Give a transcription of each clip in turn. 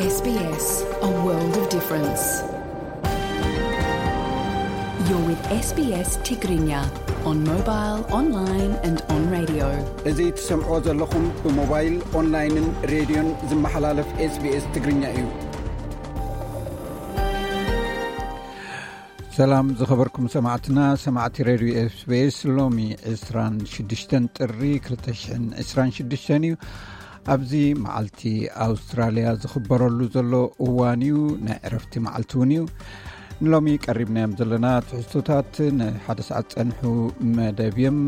S B S, a world of difference. You're with S B S Tigrinya on mobile, online and on radio. እዚ ትሰምዖ ዘለኹም ብሞባይል፣ ኦንላይንን ሬድዮን ዝመሓላለፍ SBS ትግርኛ እዩ። ሰላም ዝኸበርኩም ሰማዕትና፣ ሰማዕቲ ሬድዮ SBS። ሎሚ ዕስራን ሽዱሽተን ጥሪ ክልተ ሽሕን ዕስራን ሽዱሽተን እዩ። ኣብዚ መዓልቲ ኣውስትራልያ ዝኽበረሉ ዘሎ እዋን እዩ። ናይ ዕረፍቲ መዓልቲ እውን እዩ። ንሎሚ ቀሪብናዮም ዘለና ትሕዝቶታት ንሓደ ሰዓት ጸንሑ መደብ እዮም።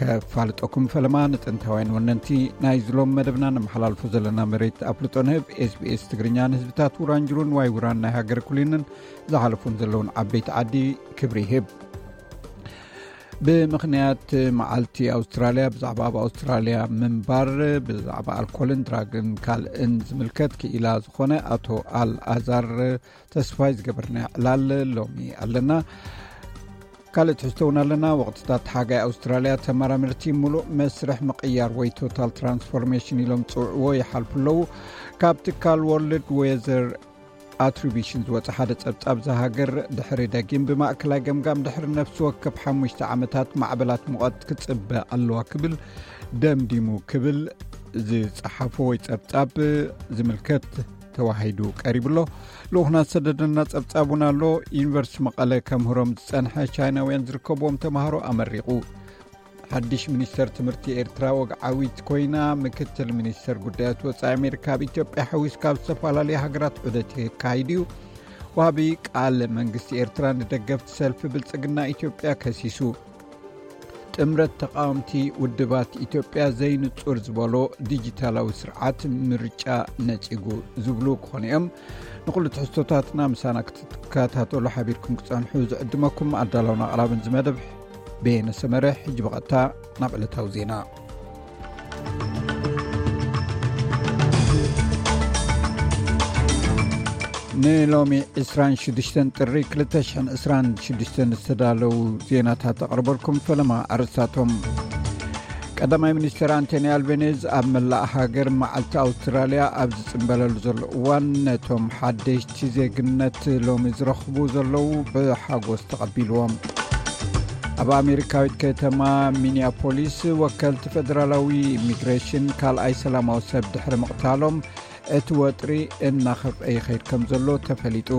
ከፋልጠኩም ፈለማ ንጥንታውያን ወነንቲ ናይዚ ሎም መደብና ነመሓላልፎ ዘለና መሬት ኣፍልጦ ንህብ። SBS ትግርኛ ንህዝብታት ውራንጅሩን ዋይ ውራን ናይ ሃገር ኩሊንን ዝሓለፉን ዘለውን ዓበይቲ ዓዲ ክብሪ ይህብ። ብምኽንያት መዓልቲ ኣውስትራልያ ብዛዕባ ኣብ ኣውስትራልያ ምንባር፣ ብዛዕባ ኣልኮልን ድራግን ካልእን ዝምልከት ክኢላ ዝኾነ ኣቶ ኣልኣዛር ተስፋይ ዝገበርና ዕላል ሎሚ ኣለና። ካልእ ትሕዝቶ እውን ኣለና። ወቕትታት ሓጋይ ኣውስትራልያ ተመራመርቲ ምሉእ መስርሕ ምቕያር ወይ ቶታል ትራንስፎርሜሽን ኢሎም ዝፅውዕዎ ይሓልፉ ኣለዉ። ካብ ትካል ወርልድ ዌዘር ኣትሪቢሽን ዝወፀ ሓደ ጸብጻብ እዛ ሃገር ድሕሪ ደጊም ብማእከላይ ገምጋም ድሕሪ ነፍሲ ወከፍ ሓሙሽተ ዓመታት ማዕበላት ሙቐት ክጽበ ኣለዋ ክብል ደምዲሙ ክብል ዝጸሓፎ ወይ ጸብጻብ ዝምልከት ተዋሂዱ ቀሪቡ ኣሎ። ልኡኽና ዝሰደደና ጸብጻብ እውን ኣሎ። ዩኒቨርሲቲ መቐለ ከምህሮም ዝጸንሐ ቻይናውያን ዝርከብዎም ተምሃሮ ኣመሪቑ። ሓድሽ ሚኒስተር ትምህርቲ ኤርትራ ወግዓዊት ኮይና፣ ምክትል ሚኒስተር ጉዳያት ወጻኢ ኣሜሪካ ኣብ ኢትዮጵያ ሓዊስካ ኣብ ዝተፈላለዩ ሃገራት ዑደት የካይድ እዩ። ወሃቢ ቃል መንግስቲ ኤርትራ ንደገፍቲ ሰልፊ ብልጽግና ኢትዮጵያ ከሲሱ። ጥምረት ተቃወምቲ ውድባት ኢትዮጵያ ዘይንጹር ዝበሎ ዲጂታላዊ ስርዓት ምርጫ ነጺጉ ዝብሉ ክኾኑ እዮም። ንኹሉ ትሕዝቶታትና ምሳና ክትከታተሉ ሓቢርኩም ክጸንሑ ዝዕድመኩም ኣዳላውን ኣቕራብን ዝመደብ በየነ ሰመረ። ሕጂ ብቐጥታ ናብ ዕለታዊ ዜና። ንሎሚ ዕስራን ሽዱሽተን ጥሪ ክልተ ሽሕን ዕስራን ሽዱሽተን ዝተዳለዉ ዜናታት ኣቕርበልኩም። ፈለማ ኣርእስታቶም። ቀዳማይ ሚኒስትር ኣንቶኒ ኣልቤኔዝ ኣብ መላእ ሃገር መዓልቲ ኣውስትራልያ ኣብ ዝጽንበለሉ ዘሎ እዋን፣ ነቶም ሓደሽቲ ዜግነት ሎሚ ዝረኽቡ ዘለዉ ብሓጎስ ተቐቢልዎም። ኣብ ኣሜሪካዊት ከተማ ሚኒያፖሊስ፣ ወከልቲ ፈደራላዊ ኢሚግሬሽን ካልኣይ ሰላማዊ ሰብ ድሕሪ ምቕታሎም፣ እቲ ወጥሪ እናኸፍአ ይኸይድ ከም ዘሎ ተፈሊጡ።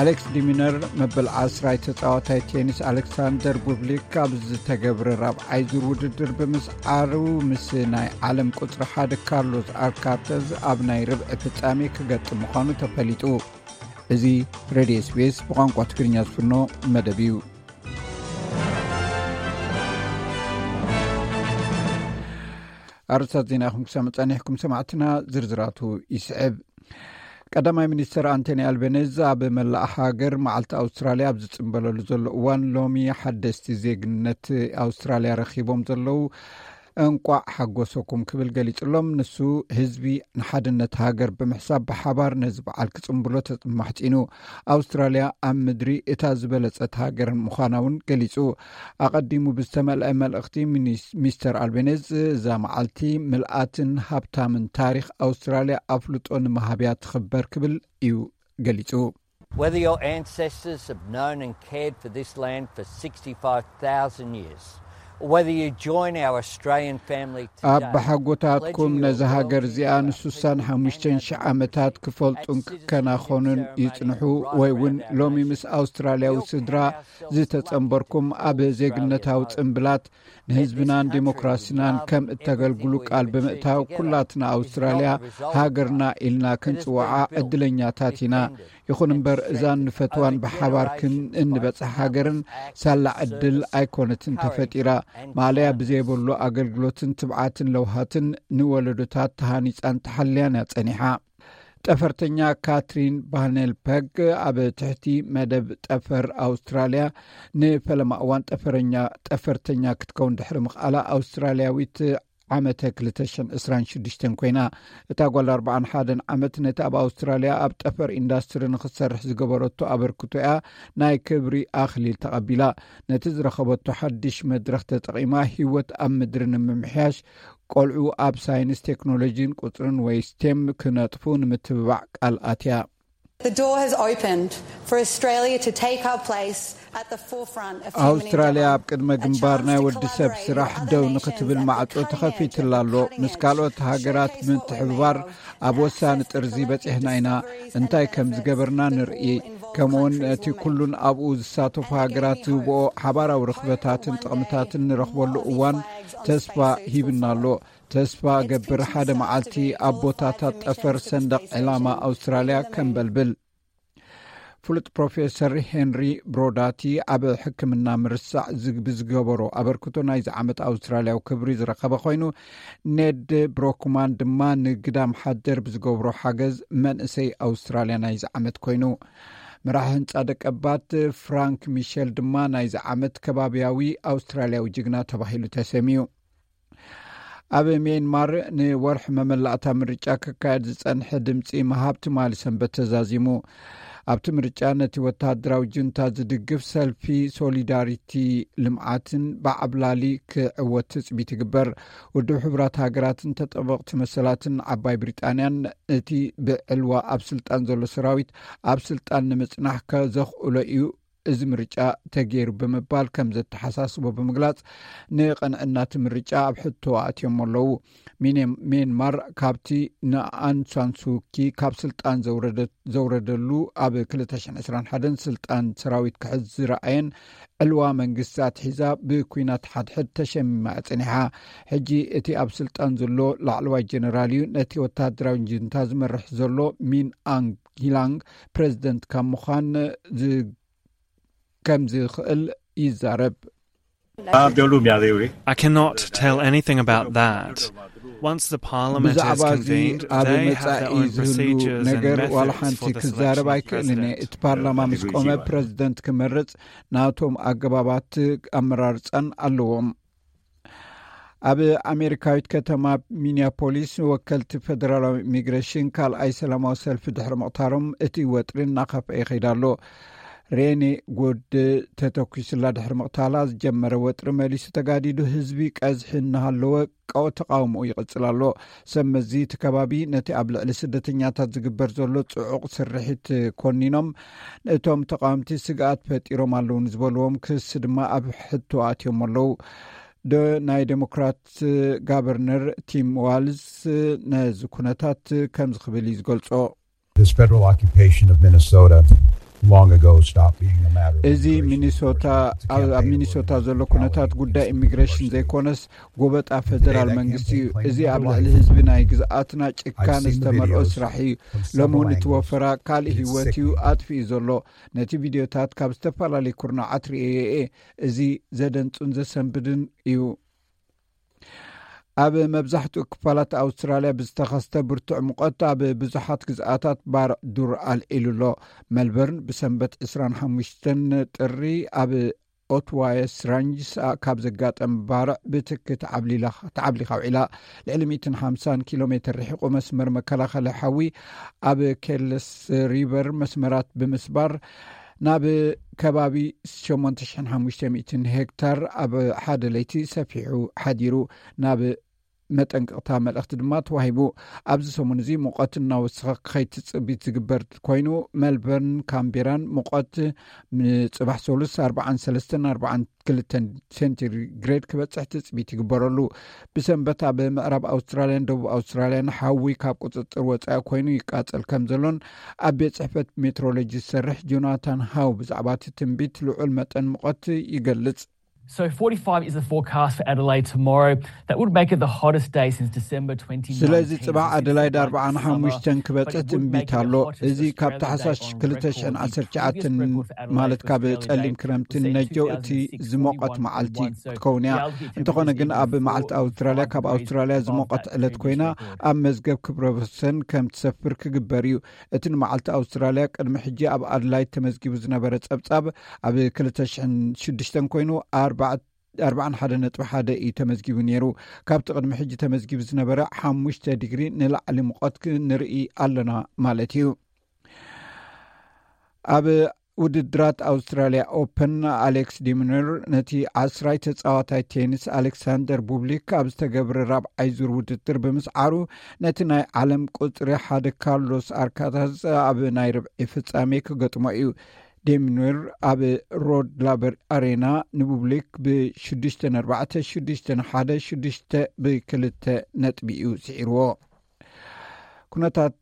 ኣሌክስ ዲሚነር፣ መበል ዓስራይ ተጻዋታይ ቴኒስ ኣሌክሳንደር ቡብሊክ ኣብ ዝተገብረ ራብዓይ ዙር ውድድር ብምስዓሩ፣ ምስ ናይ ዓለም ቁጽሪ ሓደ ካርሎስ ኣልካርተዝ ኣብ ናይ ርብዒ ፍጻሜ ክገጥም ምዃኑ ተፈሊጡ። እዚ ሬድዮ SBS ብቋንቋ ትግርኛ ዝፍኖ መደብ እዩ። ኣርእስታት ዜና ኢኹም ክሰምዕ ጸኒሕኩም ሰማዕትና፣ ዝርዝራቱ ይስዕብ። ቀዳማይ ሚኒስትር ኣንቶኒ ኣልቤኔዝ ኣብ መላእ ሃገር መዓልቲ ኣውስትራልያ ኣብ ዝጽንበለሉ ዘሎ እዋን፣ ሎሚ ሓደስቲ ዜግነት ኣውስትራልያ ረኺቦም ዘለዉ እንቋዕ ሓጎሰኩም ክብል ገሊጹሎም። ንሱ ህዝቢ ንሓድነት ሃገር ብምሕሳብ ብሓባር ነዚ በዓል ክጽንብሎ ተማሕጺኑ። ኣውስትራልያ ኣብ ምድሪ እታ ዝበለጸት ሃገር ምዃና እውን ገሊጹ። ኣቐዲሙ ብዝተመልአ መልእኽቲ ሚኒስ-፣ ሚስተር ኣልቤኔዝ፣ እዛ መዓልቲ ምልኣትን ሃብታምን ታሪኽ ኣውስትራልያ ኣፍልጦ ንምሃብያ ትኽበር ክብል እዩ ገሊጹ። Whether your ancestors have known and cared for this land for sixty-five thousand years, or whether you join our Australian family today, ኣብ ሓጎታትኩም ነዚ ሃገር እዚኣ ንስሳን ሓሙሽተን ሽሕ ዓመታት ክፈልጡን ክከናኸኑን ይጽንሑ፣ ወይ እውን ሎሚ ምስ ኣውስትራልያዊ ስድራ ዝተጸንበርኩም፣ ኣብ ዜግነታዊ ጽምብላት ንህዝብናን ዴሞክራሲናን ከም እተገልግሉ ቃል ብምእታው፣ ኩላትና ኣውስትራልያ ሃገርና ኢልና ክንጽውዓ ዕድለኛታት ኢና። ይኹን እምበር፣ እዛን ንፈትዋን ብሓባር ክን-፣ እንበጽሕ ሃገርን ሳላ ዕድል ኣይኮነትን ተፈጢራ። ማእለያ ብዘይብሉ ኣገልግሎትን ትብዓትን ለውሃትን ንወለዶታት ተሃኒጻን ተሓልያን እያ ጸኒሓ። ጠፈርተኛ ካትሪን ቫነልፐግ ኣብ ትሕቲ መደብ ጠፈር ኣውስትራልያ ንፈለማ እዋን ጠፈረኛ-፣ ጠፈርተኛ ክትከውን ድሕሪ ምኽኣላ፣ ኣውስትራልያዊት ዓመተ ክልተ ሽሕን ዕስራን ሽዱሽተን ኮይና። እታ ጓል ኣርባዓን ሓደን ዓመት ነቲ ኣብ ኣውስትራልያ ኣብ ጠፈር ኢንዳስትሪ ንኽትሰርሕ ዝገበረቶ ኣበርክቶ እያ ናይ ክብሪ ኣኽሊል ተቐቢላ። ነቲ ዝረኸበቶ ሓድሽ መድረኽ ተጠቒማ፣ ህይወት ኣብ ምድሪ ንምምሕያሽ ቆልዑ ኣብ ሳይንስ፣ ቴክኖሎጂን ቁጽርን ወይ ስቴም ክነጥፉ ንምትብባዕ ቃል ኣትያ። The door has opened for Australia to take our place at the forefront of human ኣውስትራልያ ኣብ endeavour. ቅድመ ግንባር ናይ ወዲ ሰብ ስራሕ ደው ንክትብል ማዕጾ ተኸፊትላ ኣሎ። ምስ ካልኦት ሃገራት ብምትሕብባር ኣብ ወሳኒ ጥርዚ በጺሕና ኢና። እንታይ ከም ዝገበርና ንርኢ። ከምኡውን እቲ ኩሉን ኣብኡ ዝሳተፉ ሃገራት ዝህብኦ ሓባራዊ ርኽበታትን ጥቕምታትን ንረኽበሉ እዋን ተስፋ ሂብና ኣሎ። ተስፋ ገብር ሓደ መዓልቲ ኣብ ቦታታት ጠፈር ሰንደቕ ዕላማ ኣውስትራልያ ከንበልብል። ፍሉጥ ፕሮፌሰር ሄንሪ ብሮዳቲ ኣብ ሕክምና ምርሳዕ ዝግ- ብዝገበሮ ኣበርክቶ ናይዚ ዓመት ኣውስትራልያዊ ክብሪ ዝረኸበ ኮይኑ፣ ኔድ ብሮክማን ድማ ንግዳም ሓደር ብዝገብሮ ሓገዝ መንእሰይ ኣውስትራልያ ናይዚ ዓመት ኮይኑ። መራሒ ህንፃ ደቀባት ፍራንክ ሚሸል ድማ ናይዚ ዓመት ከባቢያዊ ኣውስትራልያዊ ጅግና ተባሂሉ ተሰሚዩ። ኣብ ሜንማር ንወርሒ መመላእታ ምርጫ ክካየድ ዝጸንሐ ድምጺ ምሃብ ትማሊ ሰንበት ተዛዚሙ። ኣብቲ ምርጫ ነቲ ወተሃደራዊ ጁንታ ዝድግፍ ሰልፊ ሶሊዳሪቲ ልምዓትን ብዓብላሊ ክዕወት ትጽቢት ይግበር። ውድብ ሕቡራት ሃገራትን ተጠበቕቲ መሰላትን ዓባይ ብሪጣንያን እቲ ብዕልዋ ኣብ ስልጣን ዘሎ ሰራዊት ኣብ ስልጣን ንምጽናሕ ከዘኽእሎ እዩ እዚ ምርጫ ተገይሩ ብምባል ከም ዘተሓሳስቦ ብምግላጽ፣ ንቐንዕና እቲ ምርጫ ኣብ ሕቶ ኣእትዮም ኣለዉ። ሚኔ- ሜንማር ካብቲ ንኣንሳንሱኪ ካብ ስልጣን ዘውረደት- ዘውረደሉ ኣብ ክልተ ሽሕን ዕስራን ሓደን ስልጣን ሰራዊት ክሕዝ ዝረኣየን ዕልዋ መንግስቲ ኣትሒዛ ብኲናት ሓድሕድ ተሸሚማ እያ ጸኒሓ። ሕጂ እቲ ኣብ ስልጣን ዘሎ ላዕለዋይ ጀነራል እዩ ነቲ ወተሃደራዊ ጅንታ ዝመርሕ ዘሎ። ሚን ኣንግ ሂላንግ ፕሬዚደንት ካብ ምዃን ዝ- ከም ዝኽእል ይዛረብ። Abdulum Yadewe. I cannot tell anything about that. Once the parliament is ብዛዕባ እዚ convened, ኣብ they have their መጻኢ own ዝህሉ procedures and ነገር ዋላ methods ሓንቲ for the ክዛረብ selection of ኣይክእልን እየ። president. እቲ ፓርላማ ምስ ቆመ ፕረዚደንት ክመርጽ ናቶም ኣገባባት ኣመራርጻን ኣለዎም። ኣብ ኣሜሪካዊት ከተማ ሚኒያፖሊስ ወከልቲ ፈደራላዊ ኢሚግሬሽን ካልኣይ ሰላማዊ ሰልፊ ድሕሪ ምቕታሮም እቲ ወጥሪ እናኸፍአ ይኸይድ ኣሎ። ሬኔ ጎድ ተተኲስላ ድሕሪ ምቕታላ ዝጀመረ ወጥሪ መሊሱ ተጋዲዱ። ህዝቢ ቀዝሒ እናሃለወ ቀው ተቃውሞኡ ይቕጽል ኣሎ። ሰብ መዚ እቲ ከባቢ ነቲ ኣብ ልዕሊ ስደተኛታት ዝግበር ዘሎ ጽዑቕ ስርሒት ኮኒኖም፣ እቶም ተቃወምቲ ስግኣት ፈጢሮም ኣለዉ ንዝበልዎም ክሲ ድማ ኣብ ሕቶ ኣትዮም ኣለዉ። ዶ ናይ ዴሞክራት ጋቨርነር ቲም ዋልዝ ነዚ ኩነታት ከምዚ ክብል እዩ ዝገልጾ። This federal occupation of Minnesota long ago stopped being a matter of እዚ immigration ሚኒሶታ enforcement. It's a ኣብ ኣብ campaign ሚኒሶታ against ዘሎ brutality ኩነታት ጉዳይ and ኢሚግሬሽን forced ዘይኮነስ labor. ጎበጣ ፈደራል መንግስቲ እዩ። እዚ ኣብ ልዕሊ ህዝቢ ናይ ግዝኣትና ጭካነ ዝተመልኦ ስራሕ እዩ። ሎሚ እውን እቲ ወፈራ ካልእ ህይወት እዩ ኣጥፊኡ ዘሎ። ነቲ ቪድዮታት ካብ ዝተፈላለዩ ኩርናዓት ርእየ እየ። እዚ ዘደንጹን ዘሰንብድን እዩ። ኣብ መብዛሕትኡ ክፋላት ኣውስትራልያ ብዝተኸስተ ብርቱዕ ሙቐት ኣብ ብዙሓት ግዝኣታት ባርዕ ዱር ኣልዒሉ ኣሎ። መልበርን ብሰንበት ዕስራን ሓሙሽተን ጥሪ ኣብ ኦትዋየስ ራንጅስ ካብ ዘጋጠም ባርዕ ብትኪ ተዓብሊላ- ተዓብሊኻ ውዒላ። ልዕሊ ሚእትን ሓምሳን ኪሎ ሜትር ርሒቑ መስመር መከላኸሊ ሓዊ ኣብ ኬልስ ሪቨር መስመራት ብምስባር ናብ ከባቢ ሸሞንተ ሽሕን ሓሙሽተ ሚእትን ሄክታር ኣብ ሓደ ለይቲ ሰፊሑ ሓዲሩ። ናብ መጠንቀቕታ መልእኽቲ ድማ ተዋሂቡ። ኣብዚ ሰሙን እዚ ሙቐት እናወሰኸ ክኸይድ ትጽቢት ዝግበር ኮይኑ፣ ሜልበርን ካምቤራን ሙቐት ንጽባሕ ሰሉስ ኣርባዓን ሰለስተን ኣርባዓን ክልተን ሴንቲግሬድ ክበጽሕ ትጽቢት ይግበረሉ። ብሰንበት ኣብ ምዕራብ ኣውስትራልያን ደቡብ ኣውስትራልያን ሓዊ ካብ ቁጽጽር ወጻኢ ኮይኑ ይቃጸል ከም ዘሎን ኣብ ቤት ጽሕፈት ሜትሮሎጂ ዝሰርሕ ጆናታን ሃው ብዛዕባ እቲ ትንቢት ልዑል መጠን ሙቐት ይገልጽ። So forty-five is the forecast for Adelaide tomorrow. That would make it the hottest day since December twenty nineteen. ስለዚ ጽባሕ ኣደላይድ ኣርባዓን ሓሙሽተን ክበጽሕ ትንቢት ኣሎ። እዚ ካብ ታሕሳስ ክልተ ሽሕን ዓሰርተ ትሽዓተን ማለት ካብ ጸሊም ክረምቲ ነጀው እቲ ዝሞቐት መዓልቲ ክኸውን እያ። እንተኾነ ግን ኣብ መዓልቲ ኣውስትራልያ ካብ ኣውስትራልያ ዝሞቐት ዕለት ኮይና ኣብ መዝገብ ክብረ ወሰን ከም ትሰፍር ክግበር እዩ። እቲ ንመዓልቲ ኣውስትራልያ ቅድሚ ሕጂ ኣብ ኣድላይድ ተመዝጊቡ ዝነበረ ጸብጻብ ኣብ ክልተ ሽሕን ሽዱሽተን ኮይኑ ኣርባዕተ ኣርባዓን ሓደ ነጥቢ ሓደ እዩ ተመዝጊቡ ነይሩ። ካብቲ ቅድሚ ሕጂ ተመዝጊቡ ዝነበረ ሓሙሽተ ዲግሪ ንላዕሊ ሙቐት ክንርኢ ኣለና ማለት እዩ። ኣብ ውድድራት ኣውስትራልያ ኦፐን ኣሌክስ ዲሚነር ነቲ ዓስራይ ተጻዋታይ ቴኒስ ኣሌክሳንደር ቡብሊክ ኣብ ዝተገብረ ራብዓይ ዙር ውድድር ብምስዓሩ፣ ነቲ ናይ ዓለም ቁጽሪ ሓደ ካርሎስ ኣርካታዝ ኣብ ናይ ርብዒ ፍጻሜ ክገጥሞ እዩ። ዴሚኑር ኣብ ሮድ ላበር ኣሬና ንቡብሊክ ብ6-4፣ 6-1፣ 6 ብ2 ነጥቢ እዩ ስዒርዎ። ኩነታት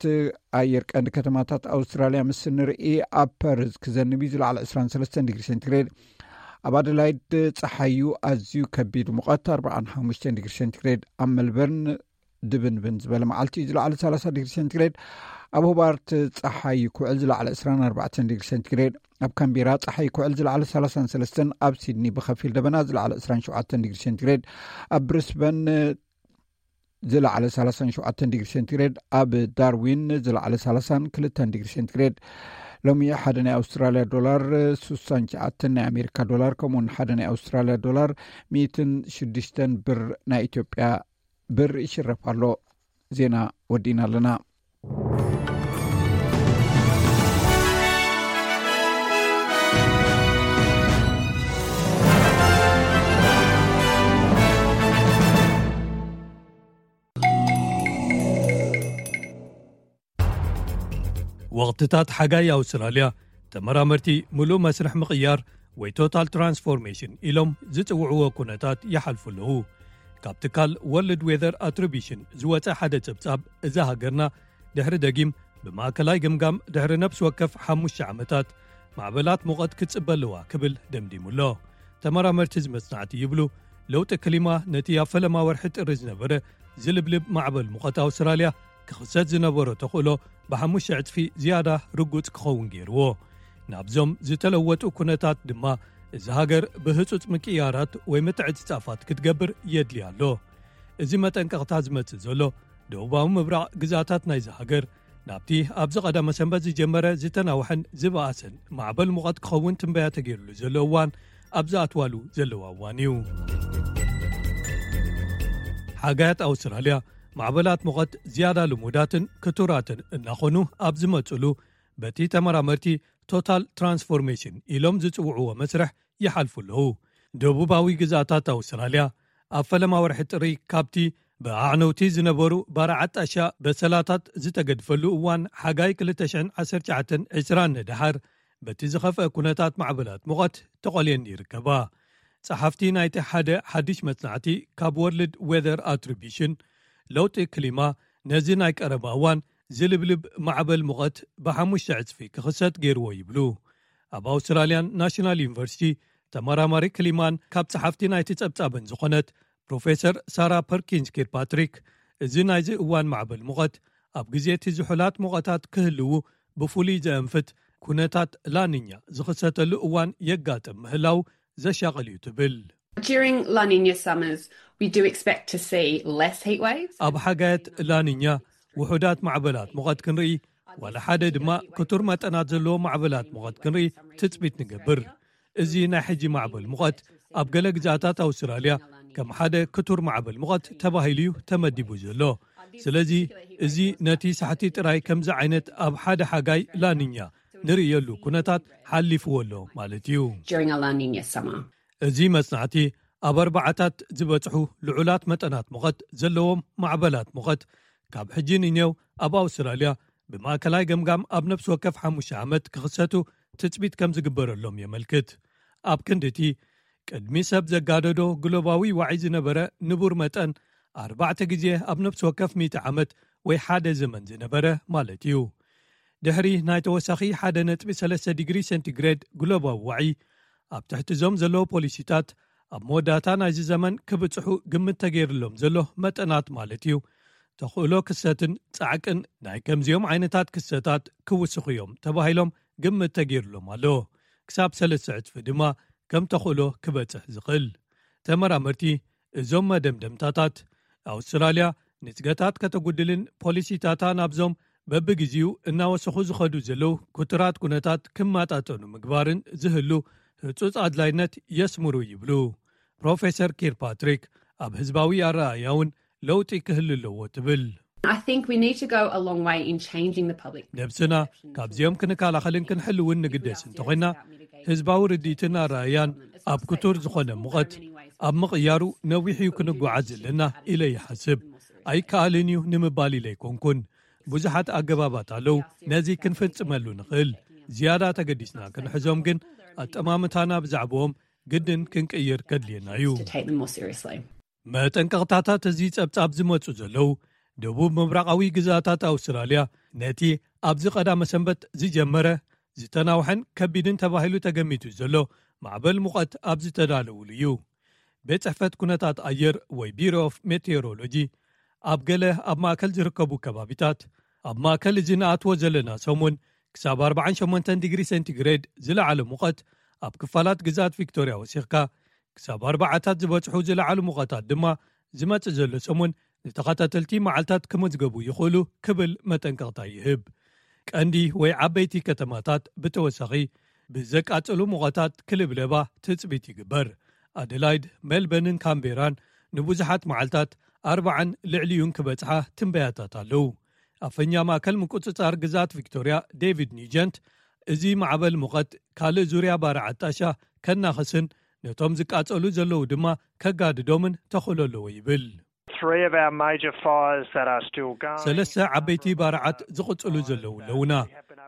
ኣየር ቀንዲ ከተማታት ኣውስትራልያ ምስ ንርኢ፣ ኣብ ፐርዝ ክዘንብ እዩ፣ ዝለዓለ 23 ዲግሪ ሴንቲግሬድ። ኣብ ኣደላይድ ጸሓዩ ኣዝዩ ከቢድ ሙቐት 45 ዲግሪ ሴንቲግሬድ። ኣብ መልበርን ድብንብን ዝበለ መዓልቲ እዩ፣ ዝለዓለ 30 ዲግሪ ሴንቲግሬድ። ኣብ ሆባርት ጸሓይ ክውዕል፣ ዝለዓለ 24 ዲግሪ ሴንቲግሬድ። ኣብ ካምቤራ ጸሓይ ክውዕል፣ ዝለዓለ 33። ኣብ ሲድኒ ብኸፊል ደበና፣ ዝለዓለ 27 ዲግሪ ሴንቲግሬድ። ኣብ ብሪስበን ዝለዓለ 37 ዲግሪ ሴንቲግሬድ። ኣብ ዳርዊን ዝለዓለ 32 ዲግሪ ሴንቲግሬድ። ሎሚ ሓደ ናይ ኣውስትራልያ ዶላር 69 ናይ ኣሜሪካ ዶላር፣ ከምኡውን ሓደ ናይ ኣውስትራልያ ዶላር 106 ብር ናይ ኢትዮጵያ ብር ይሽረፍ ኣሎ። ዜና ወዲእና ኣለና። ወቕትታት ሓጋይ ኣውስትራልያ፣ ተመራመርቲ ምሉእ መስርሕ ምቕያር ወይ ቶታል ትራንስፎርሜሽን ኢሎም ዝጽውዕዎ ኩነታት ይሓልፉ ኣለዉ። ካብ ትካል ወርልድ ዌዘር ኣትሪቢሽን ዝወጸ ሓደ ጸብጻብ፣ እዛ ሃገርና ድሕሪ ደጊም ብማእከላይ ግምጋም ድሕሪ ነፍሲ ወከፍ ሓሙሽተ ዓመታት ማዕበላት ሙቐት ክትጽበ ኣለዋ ክብል ደምዲሙ ኣሎ። ተመራመርቲ እዚ መጽናዕቲ ይብሉ፣ ለውጢ ክሊማ ነቲ ኣብ ፈለማ ወርሒ ጥሪ ዝነበረ ዝልብልብ ማዕበል ሙቐት ኣውስትራልያ ክኽሰት ዝነበሮ ተኽእሎ ብሓሙሽተ ዕጽፊ ዝያዳ ርጉጽ ክኸውን ገይርዎ። ናብዞም ዝተለወጡ ኩነታት ድማ እዛ ሃገር ብህጹጽ ምቅያራት ወይ ምትዕጽጻፋት ክትገብር የድልያ ኣሎ። እዚ መጠንቀቕታ ዝመጽእ ዘሎ፣ ደቡባዊ ምብራቕ ግዛታት ናይዚ ሃገር ናብቲ ኣብዚ ቀዳመ ሰንበት ዝጀመረ ዝተናውሐን ዝበኣሰን ማዕበል ሙቐት ክኸውን ትንበያ ተገይሩሉ ዘሎ እዋን ኣብ ዝኣትዋሉ ዘለዋ እዋን እዩ። ሓጋያት ኣውስትራልያ ማዕበላት ሙቐት ዝያዳ ልሙዳትን ክቱራትን እናኾኑ ኣብ ዝመጹሉ፣ በቲ ተመራመርቲ ቶታል ትራንስፎርሜሽን ኢሎም ዝጽውዕዎ መስርሕ ይሓልፉ ኣለዉ። ደቡባዊ ግዛታት ኣውስትራልያ ኣብ ፈለማ ወርሒ ጥሪ ካብቲ ብኣዕነውቲ ዝነበሩ ባርዓት ጣሻ በሰላታት ዝተገድፈሉ እዋን ሓጋይ 2019 ንድሓር፣ በቲ ዝኸፍአ ኩነታት ማዕበላት ሙቐት ተቖልየን ይርከባ። ጸሓፍቲ ናይቲ ሓደ ሓድሽ መጽናዕቲ ካብ ወርልድ ዌዘር ኣትሪቢሽን፣ ለውጢ ክሊማ ነዚ ናይ ቀረባ እዋን ዝልብልብ ማዕበል ሙቐት ብሓሙሽተ ዕጽፊ ክኽሰት ገይርዎ ይብሉ። ኣብ ኣውስትራልያን ናሽናል ዩኒቨርሲቲ ተመራማሪ ክሊማን ካብ ጸሓፍቲ ናይቲ ጸብጻብን ዝኾነት ፕሮፌሰር ሳራ ፐርኪንስ ኪርፓትሪክ፣ እዚ ናይዚ እዋን ማዕበል ሙቐት ኣብ ግዜ እቲ ዝሑላት ሙቐታት ክህልዉ ብፍሉይ ዘእንፍት ኩነታት ላኒኛ ዝኽሰተሉ እዋን የጋጥም ምህላው ዘሻቕል እዩ ትብል። During La Nina summers, we do expect to see less heat waves. ኣብ ሓጋየት ላኒኛ ውሑዳት ማዕበላት ሙቐት ክንርኢ፣ ዋላ ሓደ ድማ ክቱር መጠናት ዘለዎ ማዕበላት ሙቐት ክንርኢ ትጽቢት ንገብር። እዚ ናይ ሕጂ ማዕበል ሙቐት ኣብ ገለ ግዛታት ኣውስትራልያ ከም ሓደ ክቱር ማዕበል ሙቐት ተባሂሉ እዩ ተመዲቡ ዘሎ። ስለዚ እዚ ነቲ ሳሕቲ ጥራይ ከምዚ ዓይነት ኣብ ሓደ ሓጋይ ላኒኛ ንርእየሉ ኩነታት ሓሊፍዎ ኣሎ ማለት እዩ። During a La Nina summer. እዚ መጽናዕቲ ኣብ ኣርባዓታት ዝበጽሑ ልዑላት መጠናት ሙቐት ዘለዎም ማዕበላት ሙቐት ካብ ሕጂ ንኔው ኣብ ኣውስትራልያ ብማእከላይ ገምጋም ኣብ ነፍሲ ወከፍ ሓሙሽተ ዓመት ክኽሰቱ ትጽቢት ከም ዝግበረሎም የመልክት። ኣብ ክንዲ እቲ ቅድሚ ሰብ ዘጋደዶ ግሎባዊ ዋዒ ዝነበረ ንቡር መጠን ኣርባዕተ ግዜ ኣብ ነፍሲ ወከፍ ሚእቲ ዓመት ወይ ሓደ ዘመን ዝነበረ ማለት እዩ። ድሕሪ ናይ ተወሳኺ ሓደ ነጥቢ ሰለስተ ዲግሪ ሴንቲግሬድ ግሎባዊ ዋዒ፣ ኣብ ትሕቲ እዞም ዘለዉ ፖሊሲታት ኣብ መወዳእታ ናይዚ ዘመን ክብጽሑ ግምት ተገይሩሎም ዘሎ መጠናት ማለት እዩ፣ ተኽእሎ ክሰትን ጻዕቅን ናይ ከምዚኦም ዓይነታት ክስተታት ክውስኹ እዮም ተባሂሎም ግምት ተገይሩሎም ኣሎ። ክሳብ ሰለስተ ዕጽፊ ድማ ከም ተኽእሎ ክበጽሕ ዝኽእል። ተመራመርቲ እዞም መደምደምታታት፣ ኣውስትራልያ ንጽገታት ከተጉድልን ፖሊሲታታ ናብዞም በብግዜኡ እናወሰኹ ዝኸዱ ዘለዉ ክቱራት ኩነታት ክመጣጠኑ ምግባርን ዝህሉ ህጹጽ ኣድላይነት የስምሩ ይብሉ ፕሮፌሰር ኪርፓትሪክ። ኣብ ህዝባዊ ኣረኣእያ እውን ለውጢ ክህሉ ኣለዎ ትብል። I think we need to go a long way in changing the public. ነብስና ካብዚኦም ክንከላኸልን ክንሕልውን ንግደስ እንተኾይና፣ ህዝባዊ ርድኢትን ኣረኣያን ኣብ ክቱር ዝኾነ ሙቐት ኣብ ምቕያሩ ነዊሕ እዩ ክንጓዓዝ ዘለና ኢለ ይሓስብ። ኣይከኣልን እዩ ንምባል ኢለ ኣይኮንኩን። ብዙሓት ኣገባባት ኣለዉ ነዚ ክንፍጽመሉ ንኽእል። ዝያዳ ተገዲስና ክንሕዞም ግን፣ ኣጠማምታና ብዛዕባኦም ግድን ክንቅይር ከድልየና እዩ። To take them more seriously. መጠንቀቕታታት እዚ ጸብጻብ ዝመጹ ዘለዉ፣ ደቡብ ምብራቓዊ ግዛታት ኣውስትራልያ ነቲ ኣብዚ ቀዳመ ሰንበት ዝጀመረ ዝተናውሐን ከቢድን ተባሂሉ ተገሚቱ ዘሎ ማዕበል ሙቐት ኣብ ዝተዳለውሉ እዩ። ቤት ጽሕፈት ኩነታት ኣየር ወይ ቢሮ ኦፍ ሜቴዎሮሎጂ፣ ኣብ ገለ ኣብ ማእከል ዝርከቡ ከባቢታት፣ ኣብ ማእከል እዚ ንኣትዎ ዘለና ሰሙን ክሳብ ኣርባዓን ሸሞንተን ዲግሪ ሴንቲግሬድ ዝለዓለ ሙቐት ኣብ ክፋላት ግዛት ቪክቶርያ ወሲኽካ፣ ክሳብ ኣርባዓታት ዝበጽሑ ዝለዓሉ ሙቐታት ድማ ዝመጽእ ዘሎ ሰሙን ንተኸታተልቲ መዓልታት ክምዝገቡ ይኽእሉ ክብል መጠንቀቕታ ይህብ። ቀንዲ ወይ ዓበይቲ ከተማታት ብተወሳኺ ብዘቃጽሉ ሙቐታት ክልብለባ ትጽቢት ይግበር። ኣደላይድ፣ ሜልበንን ካምቤራን ንብዙሓት መዓልታት ኣርባዓን ልዕሊኡን ክበጽሓ ትንበያታት ኣለዉ። ኣፈኛ ማእከል ምቁጽጻር ግዛት ቪክቶርያ ዴቪድ ኒጀንት፣ እዚ ማዕበል ሙቐት ካልእ ዙርያ ባርዓት ጣሻ ከናኽስን ነቶም ዝቃጸሉ ዘለዉ ድማ ከጋድዶምን ተኽእሎ ኣለዎ ይብል። Three of our major fires that are still going. ሰለስተ ዓበይቲ ባርዓት ዝቕጽሉ ዘለዉ ኣለዉና።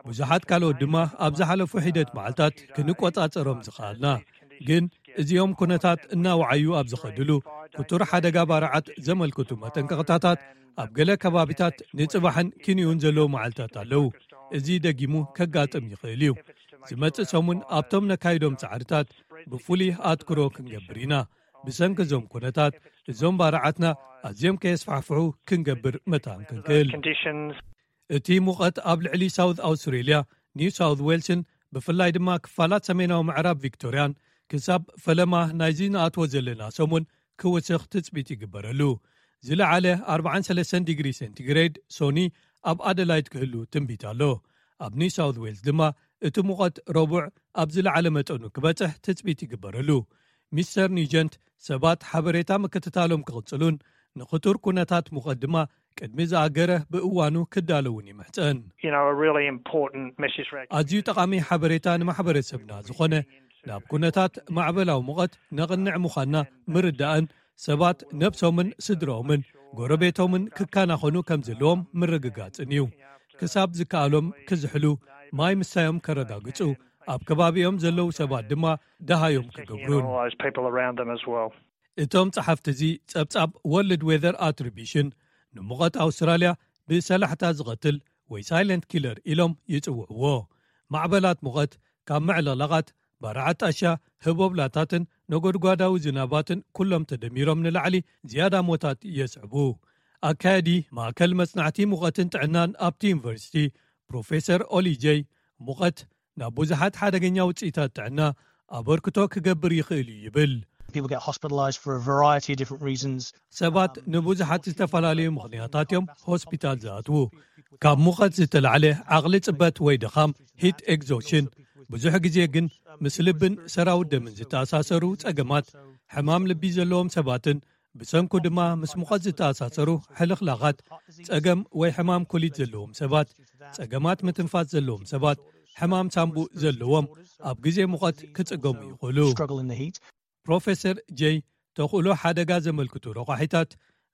ብዙሓት ካልኦት ድማ ኣብ ዝሓለፉ ሒደት መዓልታት ክንቆጻጸሮም ዝኸኣልና። ግን እዚኦም ኩነታት እናወዓዩ ኣብ ዝኸድሉ፣ ክቱር ሓደጋ ባርዓት ዘመልክቱ መጠንቀቕታታት ኣብ ገለ ከባቢታት ንጽባሕን ክንዩን ዘለዉ መዓልታት ኣለዉ። እዚ ደጊሙ ከጋጥም ይኽእል እዩ። ዝመጽእ ሰሙን ኣብቶም ነካይዶም ጻዕርታት ብፍሉይ ኣትኩሮ ክንገብር ኢና። ብሰንኪ እዞም ኩነታት፣ እዞም ባርዓትና ኣዝዮም ከየስፋሕፍሑ ክንገብር መታን ክንክእል። Conditions. እቲ ሙቐት ኣብ ልዕሊ ሳውት ኣውስትሬልያ፣ ኒው ሳውት ዌልስን ብፍላይ ድማ ክፋላት ሰሜናዊ ምዕራብ ቪክቶርያን ክሳብ ፈለማ ናይዚ ንኣትዎ ዘለና ሰሙን ክውስኽ ትጽቢት ይግበረሉ። ዝለዓለ ኣርባዓን ሰለስተን ዲግሪ ሴንቲግሬድ ሶኒ ኣብ ኣደላይድ ክህሉ ትንቢት ኣሎ። ኣብ ኒው ሳውት ዌልስ ድማ እቲ ሙቐት ረቡዕ ኣብ ዝለዓለ መጠኑ ክበጽሕ ትጽቢት ይግበረሉ። ሚስተር ኒጀንት ሰባት ሓበሬታ ምክትታሎም ክቕጽሉን ንኽቱር ኩነታት ሙቐት ድማ ቅድሚ ዝኣገረ ብእዋኑ ክዳለውን ይምሕጸን። You know, a really important message for our ኣዝዩ ጠቓሚ ሓበሬታ ንማሕበረሰብና ዝኾነ፣ ናብ ኩነታት ማዕበላዊ ሙቐት ነቕንዕ ምዃንና ምርዳእን ሰባት ነብሶምን ስድራኦምን ጎረቤቶምን ክከናኸኑ ከም ዘለዎም ምርግጋጽን እዩ። ክሳብ ዝከኣሎም ክዝሕሉ፣ ማይ ምሳዮም ከረጋግጹ፣ ኣብ ከባቢኦም ዘለዉ ሰባት ድማ ደሃዮም ክገብሩን። All those people around them as well. እቶም ጸሓፍቲ እዚ ጸብጻብ ወርልድ ዌዘር ኣትሪቢሽን ንሙቐት ኣውስትራልያ ብሰላሕታ ዝቐትል ወይ ሳይለንት ኪለር ኢሎም ይጽውዕዎ። ማዕበላት ሙቐት ካብ ምዕልቕላቓት፣ ባርዓት ጣሻ፣ ህቦብላታትን ነጎድጓዳዊ ዝናባትን ኩሎም ተደሚሮም ንላዕሊ ዝያዳ ሞታት የስዕቡ። ኣካያዲ ማእከል መጽናዕቲ ሙቐትን ጥዕናን ኣብቲ ዩኒቨርሲቲ ፕሮፌሰር ኦሊ ጀይ፣ ሙቐት ናብ ብዙሓት ሓደገኛ ውጽኢታት ጥዕና ኣበርክቶ ክገብር ይኽእል እዩ ይብል። People get hospitalized for a variety of different reasons. ሰባት ንብዙሓት ዝተፈላለዩ ምኽንያታት እዮም ሆስፒታል ዝኣትዉ። ካብ ሙቐት ዝተላዕለ ዓቕሊ ጽበት ወይ ድኻም፣ ሂት ኤግዞሽን፣ ብዙሕ ግዜ ግን ምስ ልብን ሰራውት ደምን ዝተኣሳሰሩ ጸገማት፣ ሕማም ልቢ ዘለዎም ሰባትን ብሰንኩ ድማ ምስ ሙቐት ዝተኣሳሰሩ ሕልኽላኻት፣ ጸገም ወይ ሕማም ኩሊት ዘለዎም ሰባት፣ ጸገማት ምትንፋስ ዘለዎም ሰባት፣ ሕማም ሳንቡእ ዘለዎም ኣብ ግዜ ሙቐት ክጽገሙ ይኽእሉ። Struggle in the heat. ፕሮፌሰር ጀይ፣ ተኽእሎ ሓደጋ ዘመልክቱ ረቋሒታት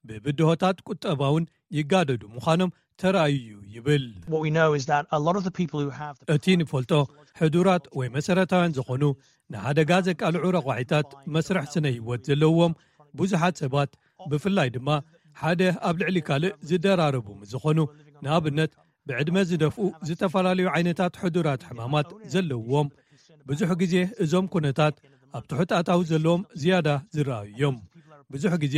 ብብድሆታት ቁጠባውን ይጋደዱ ምዃኖም ተራእዩ እዩ ይብል። What we know is that a lot of the people who have the እቲ ንፈልጦ፣ ሕዱራት ወይ መሰረታውያን ዝኾኑ ንሓደጋ ዘቃልዑ ረቋሒታት መስርሕ ስነ ህይወት ዘለዎም ብዙሓት ሰባት፣ ብፍላይ ድማ ሓደ ኣብ ልዕሊ ካልእ ዝደራረቡ ምስ ዝኾኑ፣ ንኣብነት ብዕድመ ዝደፍኡ፣ ዝተፈላለዩ ዓይነታት ሕዱራት ሕማማት ዘለዎም፣ ብዙሕ ግዜ እዞም ኩነታት ኣብ ትሑት ኣታዊ ዘለዎም ዝያዳ ዝረኣዩ እዮም። ብዙሕ ግዜ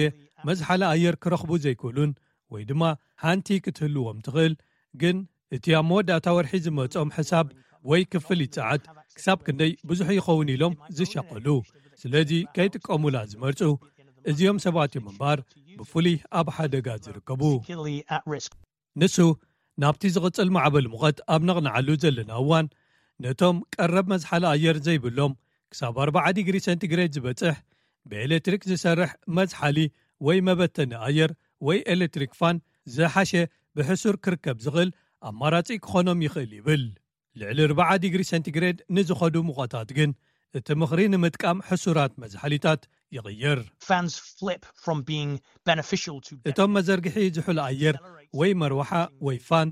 መዝሓሊ ኣየር ክረኽቡ ዘይክእሉን ወይ ድማ ሓንቲ ክትህልዎም ትኽእል፣ ግን እቲ ኣብ መወዳእታ ወርሒ ዝመጾም ሕሳብ ወይ ክፍሊት ሰዓት ክሳብ ክንደይ ብዙሕ ይኸውን ኢሎም ዝሻቐሉ፣ ስለዚ ከይጥቀሙላ ዝመርጹ፣ እዚኦም ሰባት እዮም እምበኣር ብፍሉይ ኣብ ሓደጋ ዝርከቡ። Particularly at risk. ንሱ፣ ናብቲ ዝቕጽል ማዕበል ሙቐት ኣብ ነቕንዓሉ ዘለና እዋን፣ ነቶም ቀረብ መዝሓሊ ኣየር ዘይብሎም፣ ክሳብ ኣርባዓ ዲግሪ ሴንቲግሬድ ዝበጽሕ፣ ብኤሌክትሪክ ዝሰርሕ መዝሓሊ ወይ መበተኒ ኣየር ወይ ኤሌክትሪክ ፋን ዝሓሸ ብሕሱር ክርከብ ዝኽእል ኣማራጺ ክኾኖም ይኽእል ይብል። ልዕሊ ኣርብዓ ዲግሪ ሴንቲግሬድ ንዝኸዱ ሙቐታት ግን እቲ ምኽሪ ንምጥቃም ሕሱራት መዝሓሊታት ይቕይር። Fans flip from being beneficial to እቶም መዘርግሒ ዝሑል ኣየር ወይ መርዋሓ ወይ ፋን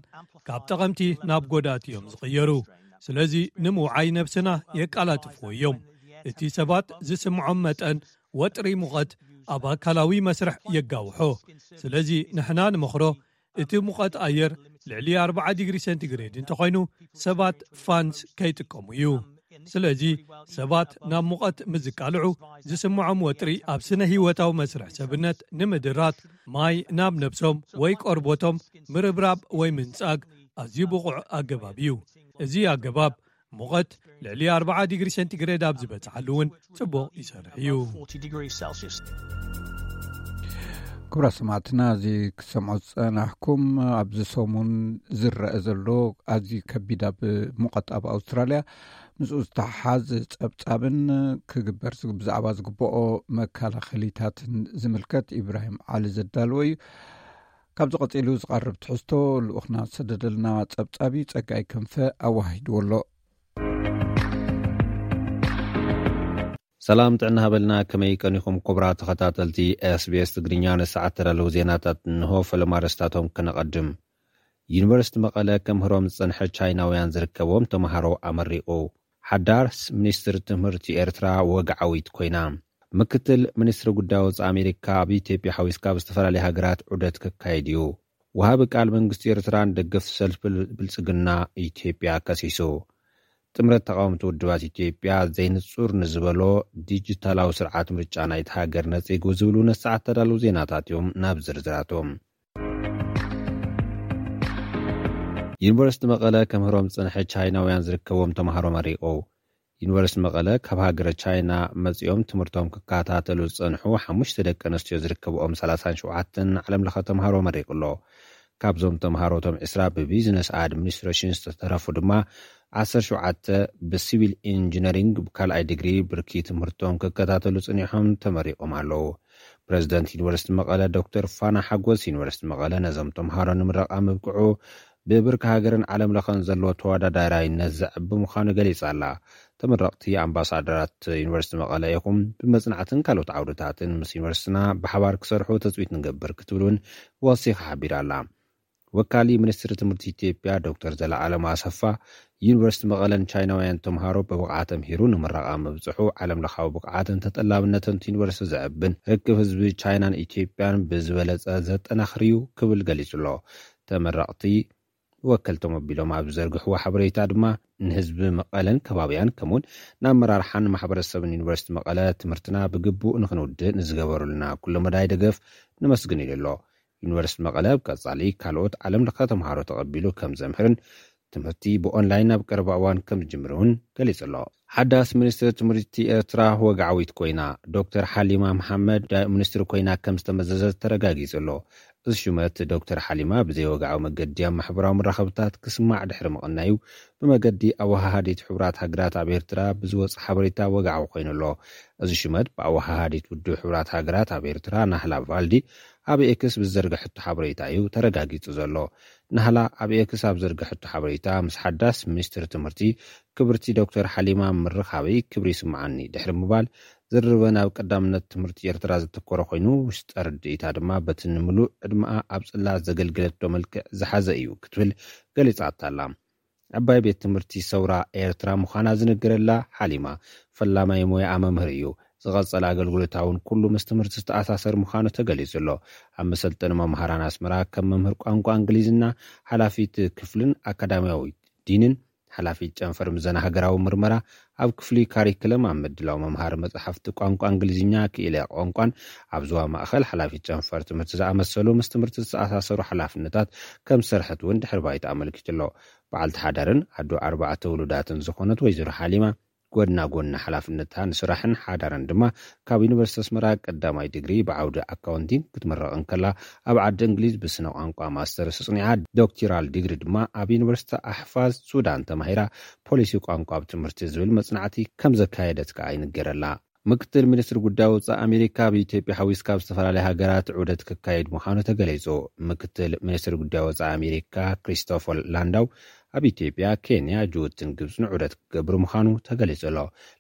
ካብ ጠቐምቲ ናብ ጎዳእቲ እዮም ዝቕየሩ። ስለዚ ንምውዓይ ነብስና የቃላጥፍዎ እዮም። እቲ ሰባት ዝስምዖም መጠን ወጥሪ ሙቐት ኣብ ኣካላዊ መስርሕ የጋውሖ። ስለዚ ንሕና ንመኽሮ እቲ ሙቐት ኣየር ልዕሊ ኣርብዓ ዲግሪ ሴንቲግሬድ እንተኾይኑ ሰባት ፋንስ ከይጥቀሙ እዩ። ስለዚ ሰባት ናብ ሙቐት ምስ ዝቃልዑ ዝስምዖም ወጥሪ ኣብ ስነ ህይወታዊ መስርሕ ሰብነት ንምድራት ማይ ናብ ነብሶም ወይ ቆርቦቶም ምርብራብ ወይ ምንጻግ ኣዝዩ ብቑዕ ኣገባብ እዩ። እዚ ኣገባብ ሙቐት ልዕሊ ኣርብዓ ዲግሪ ሴንቲግሬድ ኣብ ዝበጽሓሉ እውን ጽቡቕ ይሰርሕ እዩ። forty degrees Celsius. ክቡራት ሰማዕትና፣ እዚ ክትሰምዑ ዝጸናሕኩም ኣብዚ ሰሙን ዝረአ ዘሎ ኣዝዩ ከቢድ ኣብ ሙቐት ኣብ ኣውስትራልያ ምስኡ ዝተሓሓዝ ጸብጻብን ክግበር ዝግ- ብዛዕባ ዝግብኦ መከላኸሊታትን ዝምልከት ኢብራሂም ዓሊ ዘዳልዎ እዩ። ካብዚ ቀጺሉ ዝቐርብ ትሕዝቶ ልኡኽና ዝሰደደልና ጸብጻብ እዩ። ጸጋይ ክንፈ ኣዋሂድዎ ኣሎ። ሰላም ጥዕና ሃበልና። ከመይ ቀኒኹም ክቡራት ተኸታተልቲ ኤስቢኤስ ትግርኛ? ንሰዓት ተዳለዉ ዜናታት እንሆ። ፈለማ ኣርእስታቶም ከነቐድም። ዩኒቨርሲቲ መቐለ ከምህሮም ዝጸንሐ ቻይናውያን ዝርከቦም ተምሃሮ ኣመሪቑ። ሓዳስ ሚኒስትሪ ትምህርቲ ኤርትራ ወግዓዊት ኮይና። ምክትል ሚኒስትሪ ጉዳይ ወጻኢ ኣሜሪካ ኣብ ኢትዮጵያ ሓዊስካ ኣብ ዝተፈላለያ ሃገራት ዑደት ክካየድ እዩ። ወሃቢ ቃል መንግስቲ ኤርትራ ንደገፍቲ ሰልፊ ብልጽግና ኢትዮጵያ ከሲሱ። ጥምረት ተቃወምቲ ውድባት ኢትዮጵያ ዘይንጹር ንዝበሎ ዲጂታላዊ ስርዓት ምርጫ ናይቲ ሃገር ነጺጉ ዝብሉ ነሰዓት ተዳለዉ ዜናታት እዮም። ናብ ዝርዝራቶም። ዩኒቨርሲቲ መቐለ ከምህሮም ዝጸንሐ ቻይናውያን ዝርከቦም ተምሃሮ መሪቑ። ዩኒቨርሲቲ መቐለ ካብ ሃገረ ቻይና መጺኦም ትምህርቶም ክከታተሉ ዝጸንሑ ሓሙሽተ ደቂ ኣንስትዮ ዝርከብኦም ሰላሳን ሸውዓተን ዓለም ለኸ ተምሃሮ መሪቑ ኣሎ። ካብዞም ተምሃሮቶም ዕስራ ብቢዝነስ ኣድሚኒስትሬሽን ዝተተረፉ ድማ ዓሰርተ ሸውዓተ ብሲቪል ኢንጂነሪንግ ብካልኣይ ዲግሪ ብርኪ ትምህርቶም ክከታተሉ ጽኒሖም ተመሪቖም ኣለዉ። ፕሬዚደንት ዩኒቨርሲቲ መቐለ ዶክተር ፋና ሓጎስ ዩኒቨርሲቲ መቐለ ነዞም ተምሃሮ ንምረቓ ምብቅዑ ብብርኪ ሃገርን ዓለም ለኸን ዘለዎ ተወዳዳራይነት ዘዕቢ ምዃኑ ገሊጻ ኣላ። ተመረቕቲ ኣምባሳደራት ዩኒቨርሲቲ መቐለ ኢኹም፣ ብመጽናዕትን ካልኦት ዓውድታትን ምስ ዩኒቨርሲቲና ብሓባር ክሰርሑ ትጽቢት ንገብር ክትብል እውን ወሲኻ ሓቢራ ኣላ። ወካሊ ሚኒስትሪ ትምህርቲ ኢትዮጵያ ዶክተር ዘለኣለም ኣሰፋ ዩኒቨርሲቲ መቐለን ቻይናውያን ተምሃሮ ብብቕዓት ተምሂሩ ንምረቓ ምብጽሑ ዓለም ለኻዊ ብቕዓትን ተጠላብነትን እቲ ዩኒቨርሲቲ ዘዕብን ርክብ ህዝቢ ቻይናን ኢትዮጵያን ብዝበለጸ ዘጠናኽር እዩ ክብል ገሊጹ ኣሎ። ተመረቕቲ ወከልቶም ኣቢሎም ኣብ ዝዘርግሕዎ ሓበሬታ ድማ ንህዝቢ መቐለን ከባቢያን ከምኡውን ንኣመራርሓን ማሕበረሰብን ዩኒቨርሲቲ መቐለ ትምህርትና ብግቡእ ንክንውድእ ንዝገበሩልና ኩለ መዳይ ደገፍ ነመስግን ኢሉ ኣሎ። ዩኒቨርሲቲ መቐለ ኣብ ቀጻሊ ካልኦት ዓለም ለኸ ተምሃሮ ተቐቢሉ ከም ዘምህርን ትምህርቲ ብኦንላይን ኣብ ቀረባ እዋን ከም ዝጅምር እውን ገሊጹ ኣሎ። ሓዳስ ሚኒስትሪ ትምህርቲ ኤርትራ ወግዓዊት ኮይና ዶክተር ሓሊማ መሓመድ ዳ- ሚኒስትሪ ኮይና ከም ዝተመዘዘት ተረጋጊጹ ኣሎ። እዚ ሹመት ዶክተር ሓሊማ ብዘይወግዓዊ መገዲ ኣብ ማሕበራዊ መራኸብታት ክስማዕ ድሕሪ ምቕናዩ ብመገዲ ኣወሃሃዲት ሕቡራት ሃገራት ኣብ ኤርትራ ብዝወጽእ ሓበሬታ ወግዓዊ ኮይኑ ኣሎ። እዚ ሹመት ብኣወሃሃዲት ውድብ ሕቡራት ሃገራት ኣብ ኤርትራ ናህላ ቫልዲ ኣብ ኤክስ ብዝዘርግሐቶ ሓበሬታ እዩ ተረጋጊጹ ዘሎ። ናህላ ኣብ ኤክስ ኣብ ዘርግሐቶ ሓበሬታ ምስ ሓዳስ ሚኒስትሪ ትምህርቲ ክብርቲ ዶክተር ሓሊማ ምርኻበይ ክብሪ ይስምዓኒ ድሕሪ ምባል ዝርርበን ኣብ ቀዳምነት ትምህርቲ ኤርትራ ዘተኮረ ኮይኑ ውሽጠ ርድኢታ ድማ በቲ ንምሉእ ዕድመኣ ኣብ ጽላት ዘገልገለቶ መልክዕ ዝሓዘ እዩ ክትብል ገሊጻታ ኣላ። ዓባይ ቤት ትምህርቲ ሰውራ ኤርትራ ምዃና ዝነገረላ ሓሊማ ፈላማይ ሞያኣ መምህር እዩ። ዝቐጸለ ኣገልግሎታ እውን ኩሉ ምስ ትምህርቲ ዝተኣሳሰር ምዃኑ ተገሊጹ ኣሎ። ኣብ መሰልጠኒ መምሃራን ኣስመራ ከም መምህር ቋንቋ እንግሊዝና፣ ሓላፊት ክፍልን ኣካዳሚያዊ ዲንን ሓላፊት ጨንፈር ምዘና ሃገራዊ ምርመራ ኣብ ክፍሊ ካሪክለም ኣብ ምድላው መምሃሪ መጽሓፍቲ ቋንቋ እንግሊዝኛ ክኢለ ቋንቋን ኣብ ዞባ ማእኸል ሓላፊት ጨንፈር ትምህርቲ ዝኣመሰሉ ምስ ትምህርቲ ዝተኣሳሰሩ ሓላፍነታት ከም ዝሰርሐት እውን ድሕሪ ባይታ ኣመልኪቱ ኣሎ። በዓልቲ ሓዳርን ኣዶ ኣርባዕተ ውሉዳትን ዝኾነት ወይዘሮ ሓሊማ ጎድና ጎድኒ ሓላፍነታ ንስራሕን ሓዳርን ድማ ካብ ዩኒቨርሲቲ ኣስመራ ቀዳማይ ዲግሪ ብዓውዲ ኣካውንቲንግ ክትምረቕ እንከላ ኣብ ዓዲ እንግሊዝ ብስነ ቋንቋ ማስተርስ ኣጽኒዓ ዶክተራል ዲግሪ ድማ ኣብ ዩኒቨርሲቲ ኣሕፋዝ ሱዳን ተማሂራ ፖሊሲ ቋንቋ ኣብ ትምህርቲ ዝብል መጽናዕቲ ከም ዘካየደት ከኣ ይንገረላ። ምክትል ሚኒስትር ጉዳይ ወፃኢ ኣሜሪካ፣ ኣብ ኢትዮጵያ ሓዊስካ ኣብ ዝተፈላለዩ ሃገራት ዑደት ክካየድ ምዃኑ ተገሊጹ። ምክትል ሚኒስትር ጉዳይ ወፃኢ ኣሜሪካ ክሪስቶፈር ላንዳው ኣብ ኢትዮጵያ፣ ኬንያ፣ ጅቡትን ግብፅን ዑደት ክገብር ምዃኑ ተገሊጹ ኣሎ።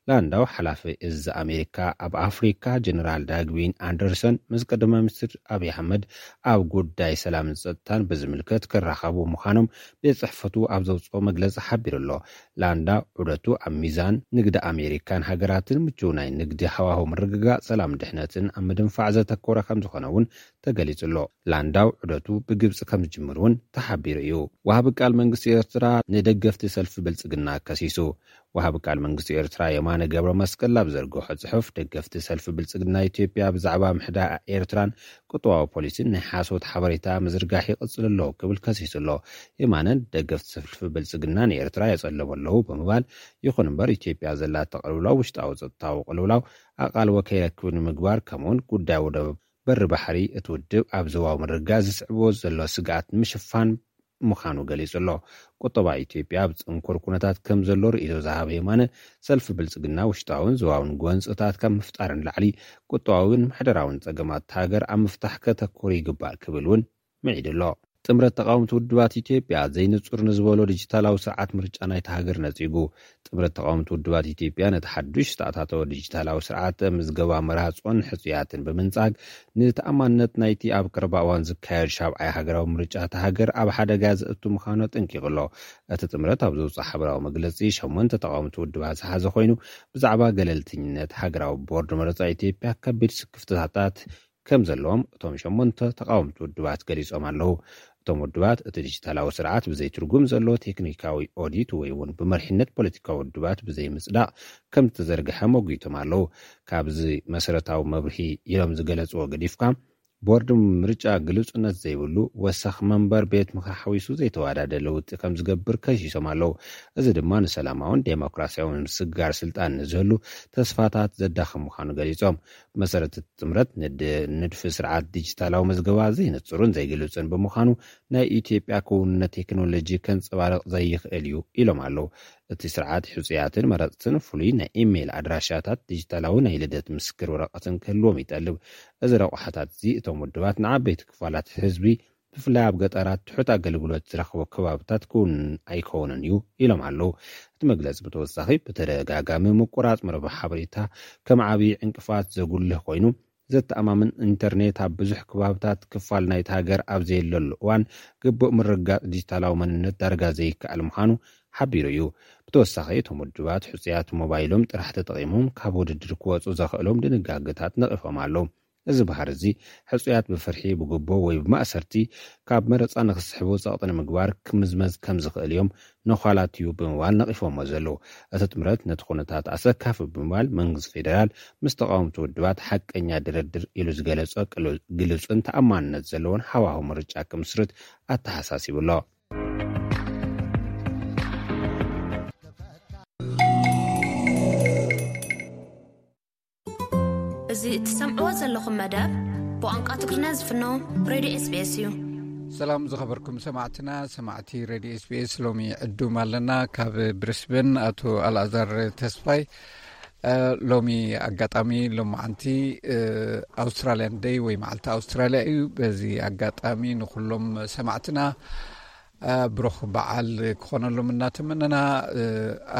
ላንዳው ሓላፊ እዚ ኣሜሪካ ኣብ ኣፍሪካ ጀነራል ዳግዊን ኣንደርሰን ምስ ቀዳማይ ሚኒስትር ኣብይ ኣሕመድ ኣብ ጉዳይ ሰላምን ጸጥታን ብዝምልከት ክራኸቡ ምዃኖም ቤት ጽሕፈቱ ኣብ ዘውፅኦ መግለጺ ሓቢሩ ኣሎ። ላንዳ ዑደቱ ኣብ ሚዛን ንግዲ ኣሜሪካን ሃገራትን ምቹው ናይ ንግዲ ሃዋሁ ምርግጋእ ሰላም ድሕነትን ኣብ ምድንፋዕ ዘተኮረ ከም ዝኾነ እውን ተገሊጹ ኣሎ። ላንዳው ዑደቱ ብግብጺ ከም ዝጅምር እውን ተሓቢሩ እዩ። ወሃቢ ቃል መንግስቲ ኤርትራ ንደገፍቲ ሰልፊ ብልጽግና ከሲሱ። ወሃቢ ቃል መንግስቲ ኤርትራ የማነ ገብረ መስቀል ኣብ ዘርግሖ ጽሑፍ፣ ደገፍቲ ሰልፊ ብልጽግና ኢትዮጵያ ብዛዕባ ምሕዳእ ኤርትራን ቁጠባዊ ፖሊሲን ናይ ሓሶት ሓበሬታ ምዝርጋሕ ይቕጽል ኣሎ ክብል ከሲሱ ኣሎ። የማነ ደገፍቲ ሰልፊ ብልጽግና ንኤርትራ የጸለሙ ኣለዉ ብምባል፣ ይኹን እምበር ኢትዮጵያ ዘላቶ ቅልውላው ውሽጣዊ ጸጥታዊ ቅልውላው ኣቓልቦ ከይረክብ ንምግባር፣ ከምኡውን ጉዳይ ወደብ በሪ ባሕሪ እቲ ውድብ ኣብ ዞባዊ ምርግጋእ ዝስዕቦ ዘሎ ስግኣት ንምሽፋን ምዃኑ ገሊጹ ኣሎ። ቁጠባ ኢትዮጵያ ኣብ ጽንኩር ኩነታት ከም ዘሎ ርእይቶ ዝሃበ የማነ፣ ሰልፊ ብልጽግና ውሽጣውን ዞባውን ጎንጽታት ካብ ምፍጣር ንላዕሊ ቁጠባውን ምሕደራውን ጸገማት ሃገር ኣብ ምፍታሕ ከተኩር ይግባእ ክብል እውን ምዒዱ ኣሎ። ጥምረት ተቃወምቲ ውድባት ኢትዮጵያ ዘይንጹር ንዝበሎ ዲጂታላዊ ስርዓት ምርጫ ናይታ ሃገር ነጺጉ። ጥምረት ተቃወምቲ ውድባት ኢትዮጵያ ነቲ ሓዱሽ ዝተኣታተወ ዲጂታላዊ ስርዓት ምዝገባ መራጽኦን ሕጹያትን ብምንጻግ፣ ንተኣማንነት ናይቲ ኣብ ቀረባ እዋን ዝካየድ ሻብዓይ ሃገራዊ ምርጫ እታ ሃገር ኣብ ሓደጋ ዘእቱ ምዃኑ ኣጠንቂቑ ኣሎ። እቲ ጥምረት ኣብ ዘውፅኦ ሓበራዊ መግለፂ፣ ሸሞንተ ተቃወምቲ ውድባት ዝሓዘ ኮይኑ፣ ብዛዕባ ገለልተኝነት ሃገራዊ ቦርድ መረፃ ኢትዮጵያ ከቢድ ስክፍታታት ከም ዘለዎም እቶም ሸሞንተ ተቃወምቲ ውድባት ገሊጾም ኣለዉ። እቶም ውድባት፣ እቲ ዲጂታላዊ ስርዓት ብዘይ ትርጉም ዘለዎ ቴክኒካዊ ኦዲት ወይ እውን ብመሪሕነት ፖለቲካዊ ውድባት ብዘይ ምጽዳቕ ከም ዝተዘርግሐ መጒቶም ኣለዉ። ካብዚ መሰረታዊ መብርሂ ኢሎም ዝገለጽዎ ገዲፍካ፣ ቦርድ ምርጫ ግሉጽነት ዘይብሉ፣ ወሰኽ መንበር ቤት ምኽሪ ሓዊሱ ዘይተወዳደ ለውጢ ከም ዝገብር ከሲሶም ኣለዉ። እዚ ድማ ንሰላማውን ዴሞክራሲያውን ምስግጋር ስልጣን ንዝህሉ ተስፋታት ዘዳኽም ምዃኑ ገሊጾም። ብመሰረት እቲ ጥምረት፣ ንድ-፣ ንድፊ ስርዓት ዲጂታላዊ መዝገባ ዘይንጹርን ዘይግሉጽን ብምዃኑ፣ ናይ ኢትዮጵያ ክውንነት ቴክኖሎጂ ከንጸባርቕ ዘይኽእል እዩ ኢሎም ኣለዉ። እቲ ስርዓት ሕጹያትን መረጽትን ፍሉይ ናይ ኢሜይል ኣድራሻታት፣ ዲጂታላዊ ናይ ልደት ምስክር ወረቐትን ክህልዎም ይጠልብ። እዚ ረቑሓታት እዚ እቶም ውድባት ንዓበይቲ ክፋላት ህዝቢ፣ ብፍላይ ኣብ ገጠራት፣ ትሑት ኣገልግሎት ዝረኽቡ ከባብታት ክውንን ኣይከውንን እዩ ኢሎም ኣለዉ። እቲ መግለጺ ብተወሳኺ፣ ብተደጋጋሚ ምቁራጽ መርበብ ሓበሬታ ከም ዓብዪ ዕንቅፋት ዘጉልህ ኮይኑ፣ ዘተኣማምን ኢንተርኔት ኣብ ብዙሕ ከባብታት ክፋል ናይቲ ሃገር ኣብ ዘየለሉ እዋን፣ ግቡእ ምርግጋጽ ዲጂታላዊ መንነት ዳርጋ ዘይከኣል ምዃኑ ሓቢሩ እዩ። ብተወሳኺ፣ እቶም ውድባት ሕጹያት ሞባይሎም ጥራሕ ተጠቒሞም ካብ ውድድር ክወጹ ዘኽእሎም ድንጋገታት ነቒፎም ኣለዉ። እዚ ባህሪ እዚ፣ ሕጹያት ብፍርሒ፣ ብጉቦ ወይ ብማእሰርቲ ካብ መረጻ ንኽስሕቡ ጸቕጢ ንምግባር ክምዝመዝ ከም ዝኽእል እዮም ነዃላት'ዩ ብምባል ነቒፎሞ ዘለዉ። እቲ ጥምረት ነቲ ኩነታት ኣሰካፊ ብምባል፣ መንግስቲ ፌደራል ምስ ተቓወምቲ ውድባት ሓቀኛ ድርድር ኢሉ ዝገለጾ ቅሉ-፣ ግሉጽን ተኣማንነት ዘለዎን ሃዋሁ ምርጫ ክምስርት ኣተሓሳሲቡ ኣሎ። እዚ እትሰምዕዎ ዘለኹም መደብ ብቋንቋ ትግርኛ ዝፍኖ ሬድዮ ኤስ ቢ ኤስ እዩ። ሰላም ዝኸበርኩም ሰማዕትና፣ ሰማዕቲ ሬድዮ ኤስ ቢ ኤስ፣ ሎሚ ዕዱም ኣለና። ካብ ብሪስበን ኣቶ ኣልኣዛር ተስፋይ። እ፣ ሎሚ ኣጋጣሚ ሎማዓንቲ፣ እ፣ ኣውስትራልያን ደይ ወይ መዓልቲ ኣውስትራልያ እዩ። በዚ ኣጋጣሚ ንኹሎም ሰማዕትና፣ እ፣ ብሩኽ በዓል ክኾነሎም እናተመነና፣ እ፣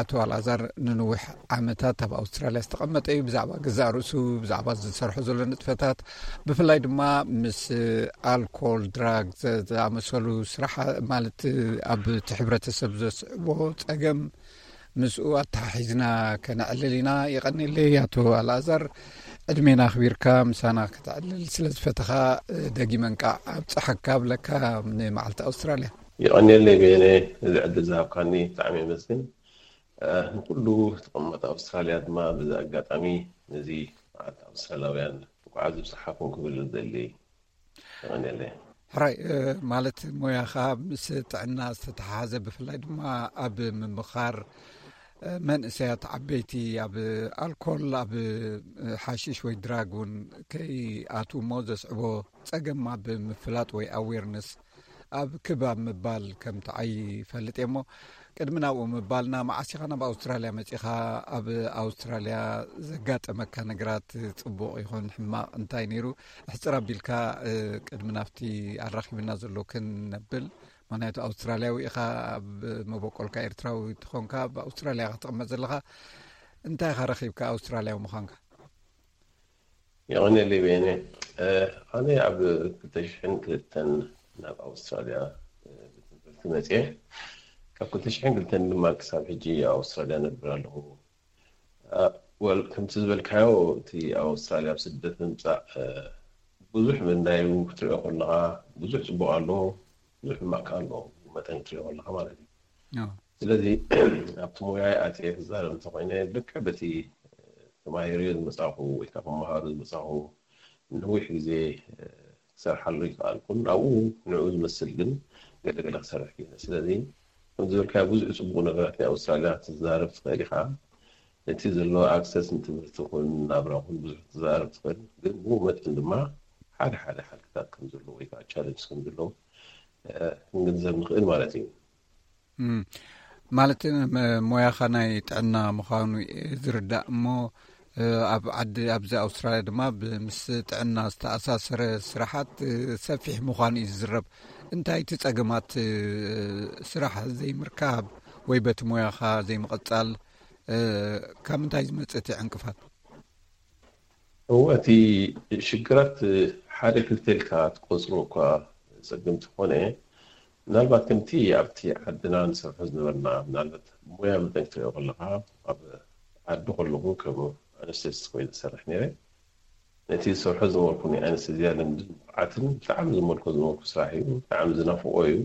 ኣቶ ኣልኣዛር ንንዊሕ ዓመታት ኣብ ኣውስትራልያ ዝተቐመጠ እዩ። ብዛዕባ ገዛእ ርእሱ፣ ብዛዕባ ዝሰርሖ ዘሎ ንጥፈታት፣ ብፍላይ ድማ ምስ ኣልኮል፣ ድራግ ዘ-፣ ዝኣመሰሉ ስራሕ፣ ማለት ኣብ እቲ ሕብረተሰብ ዘስዕቦ ጸገም ምስኡ ኣተሓሒዝና ከነዕልል ኢና። የቐንየለይ ኣቶ ኣልኣዛር፣ ዕድሜና ኣኽቢርካ ምሳና ከተዕልል ስለ ዝፈተኻ፣ ደጊመ እንቃዕ ኣብጽሓካ እብለካ ንመዓልቲ ኣውስትራልያ። የቐንየለይ በየነ፣ እዚ ዕድል ዝሃብካኒ ብጣዕሚ የመስግን። እ፣ ንኩሉ ተቐማጢ ኣውስትራልያ ድማ በዚ ኣጋጣሚ ነዚ መዓልቲ ኣውስትራልያውያን እንኳዕ ኣብዝሓኩም ክብል ዝደሊ። የቐንየለይ። ሕራይ፣ እ፣ ማለት ሞያኻ ምስ ጥዕና ዝተተሓሓዘ፣ ብፍላይ ድማ ኣብ ምምኻር፣ እ፣ መንእሰያት ዓበይቲ ኣብ ኣልኮል፣ ኣብ፣ እ፣ ሓሽሽ ወይ ድራግ እውን ከይኣትዉ እሞ ዘስዕቦ ጸገም ኣብ ምፍላጥ ወይ ኣዌርነስ ኣብ ክብ ኣብ ምባል ከም ትዓዪ ይፈልጥ እየ እሞ፣ ቅድሚ ናብኡ ምባልና፣ መዓስ ኢኻ ናብ ኣውስትራልያ መጺኻ? ኣብ ኣውስትራልያ ዘጋጠመካ ነገራት፣ ጽቡቕ ይኹን ሕማቕ፣ እንታይ ነይሩ? ሕጽር ኣቢልካ፣ እ፣ ቅድሚ ናብቲ ኣራኺብና ዘሎ ክንነብል። ምኽንያቱ ኣውስትራልያዊ ኢኻ፣ ኣብ መበቆልካ ኤርትራዊ ትኾንካ፣ ኣብ ኣውስትራልያ ኢኻ ትቕመጥ ዘለኻ። እንታይ ኢኻ ረኺብካ ኣውስትራልያዊ ምዃንካ? የቐኔለይ በየነ። እ፣ ኣነ ኣብ ክልተ ሽሕን ክልተን ናብ ኣውስትራልያ፣ እ፣ ብትምህርቲ መፅየ። ካብ ክልተ ሽሕን ክልተን ድማ ክሳብ ሕጂ ኣብ ኣውስትራልያ ነብር ኣለኹ። እ፣ ወል፣ ከምቲ ዝበልካዮ፣ እቲ ኣብ ኣውስትራልያ ኣብ ስደት ምምፃእ፣ እ፣ ብዙሕ ምንዳዩ ክትሪኦ ከለኻ፣ ብዙሕ ፅቡቕ ኣለዎ፣ ብዙሕ ሕማቕ ከኣ ኣለዎ፣ መጠን ክትሪኦ ከለኻ ማለት እዩ። ኣዎ። ስለዚ ኣብቲ ሞያይ ኣትየ ክዛረብ እንተኾይነ፣ ልክዕ በቲ ተማሂረዮ ዝመጻኹ ወይ ከዓ ክመሃሮ ዝመጻኹ ነዊሕ ግዜ፣ እ፣ ክሰርሓሉ ይከኣልኩን፣ ኣብኡ ንዕኡ ዝመስል ግን ገለ ገለ ክሰርሕ ክኢለ። ስለዚ ከም ዝበልካዮ፣ ብዙሕ ጽቡቕ ነገራት ናይ ኣውስትራልያ ክትዛረብ ትኽእል ኢኻ። ነቲ ዘሎ ኣክሰስ ንትምህርቲ ይኹን ናብራ ይኹን ብዙሕ ክትዛረብ ትኽእል፣ ግን ብኡ መጠን ድማ ሓደ ሓደ ሓድግታት ከም ዘለዎ ወይ ከዓ ቻለንጅ ከም ዘለዎ፣ እ፣ ክንግንዘብ ንኽእል ማለት እዩ። እም፣ ማለት፣ መ-፣ ሞያኻ ናይ ጥዕና ምዃኑ እየ ዝርዳእ እሞ፣ እ፣ ኣብ ዓዲ፣ ኣብዚ ኣውስትራልያ ድማ ብ-፣ ምስ ጥዕና ዝተኣሳሰረ ስራሓት፣ እ፣ ሰፊሕ ምዃኑ እዩ ዝዝረብ። እንታይ እቲ ጸገማት፣ እ፣ ስራሕ ዘይምርካብ ወይ በቲ ሞያኻ ዘይምቕጻል፣ እ፣ ካብ ምንታይ ዝመጽእ እቲ ዕንቅፋት? እወ፣ እቲ ሽግራት ሓደ ክልተ ኢልካ ትቆጽሮ እኳ ጸገም እንተኾነ፣ ምናልባት ከምቲ ኣብቲ ዓድና ንሰርሖ ዝነበርና፣ ምናልባት ሞያ መጠን ክትሪኦ ከለኻ፣ ኣብ ዓዲ ከለኹ ከም ኣነስቴዚስት ኮይነ ዝሰርሕ ነይረ። ነቲ ዝሰርሖ ዝነበርኩ ናይ ኣነስቴዝያ ልምድን ብቕዓትን ብጣዕሚ ዝመልኮ ዝነበርኩ ስራሕ እዩ። ብጣዕሚ ዝናፍቆ እዩ።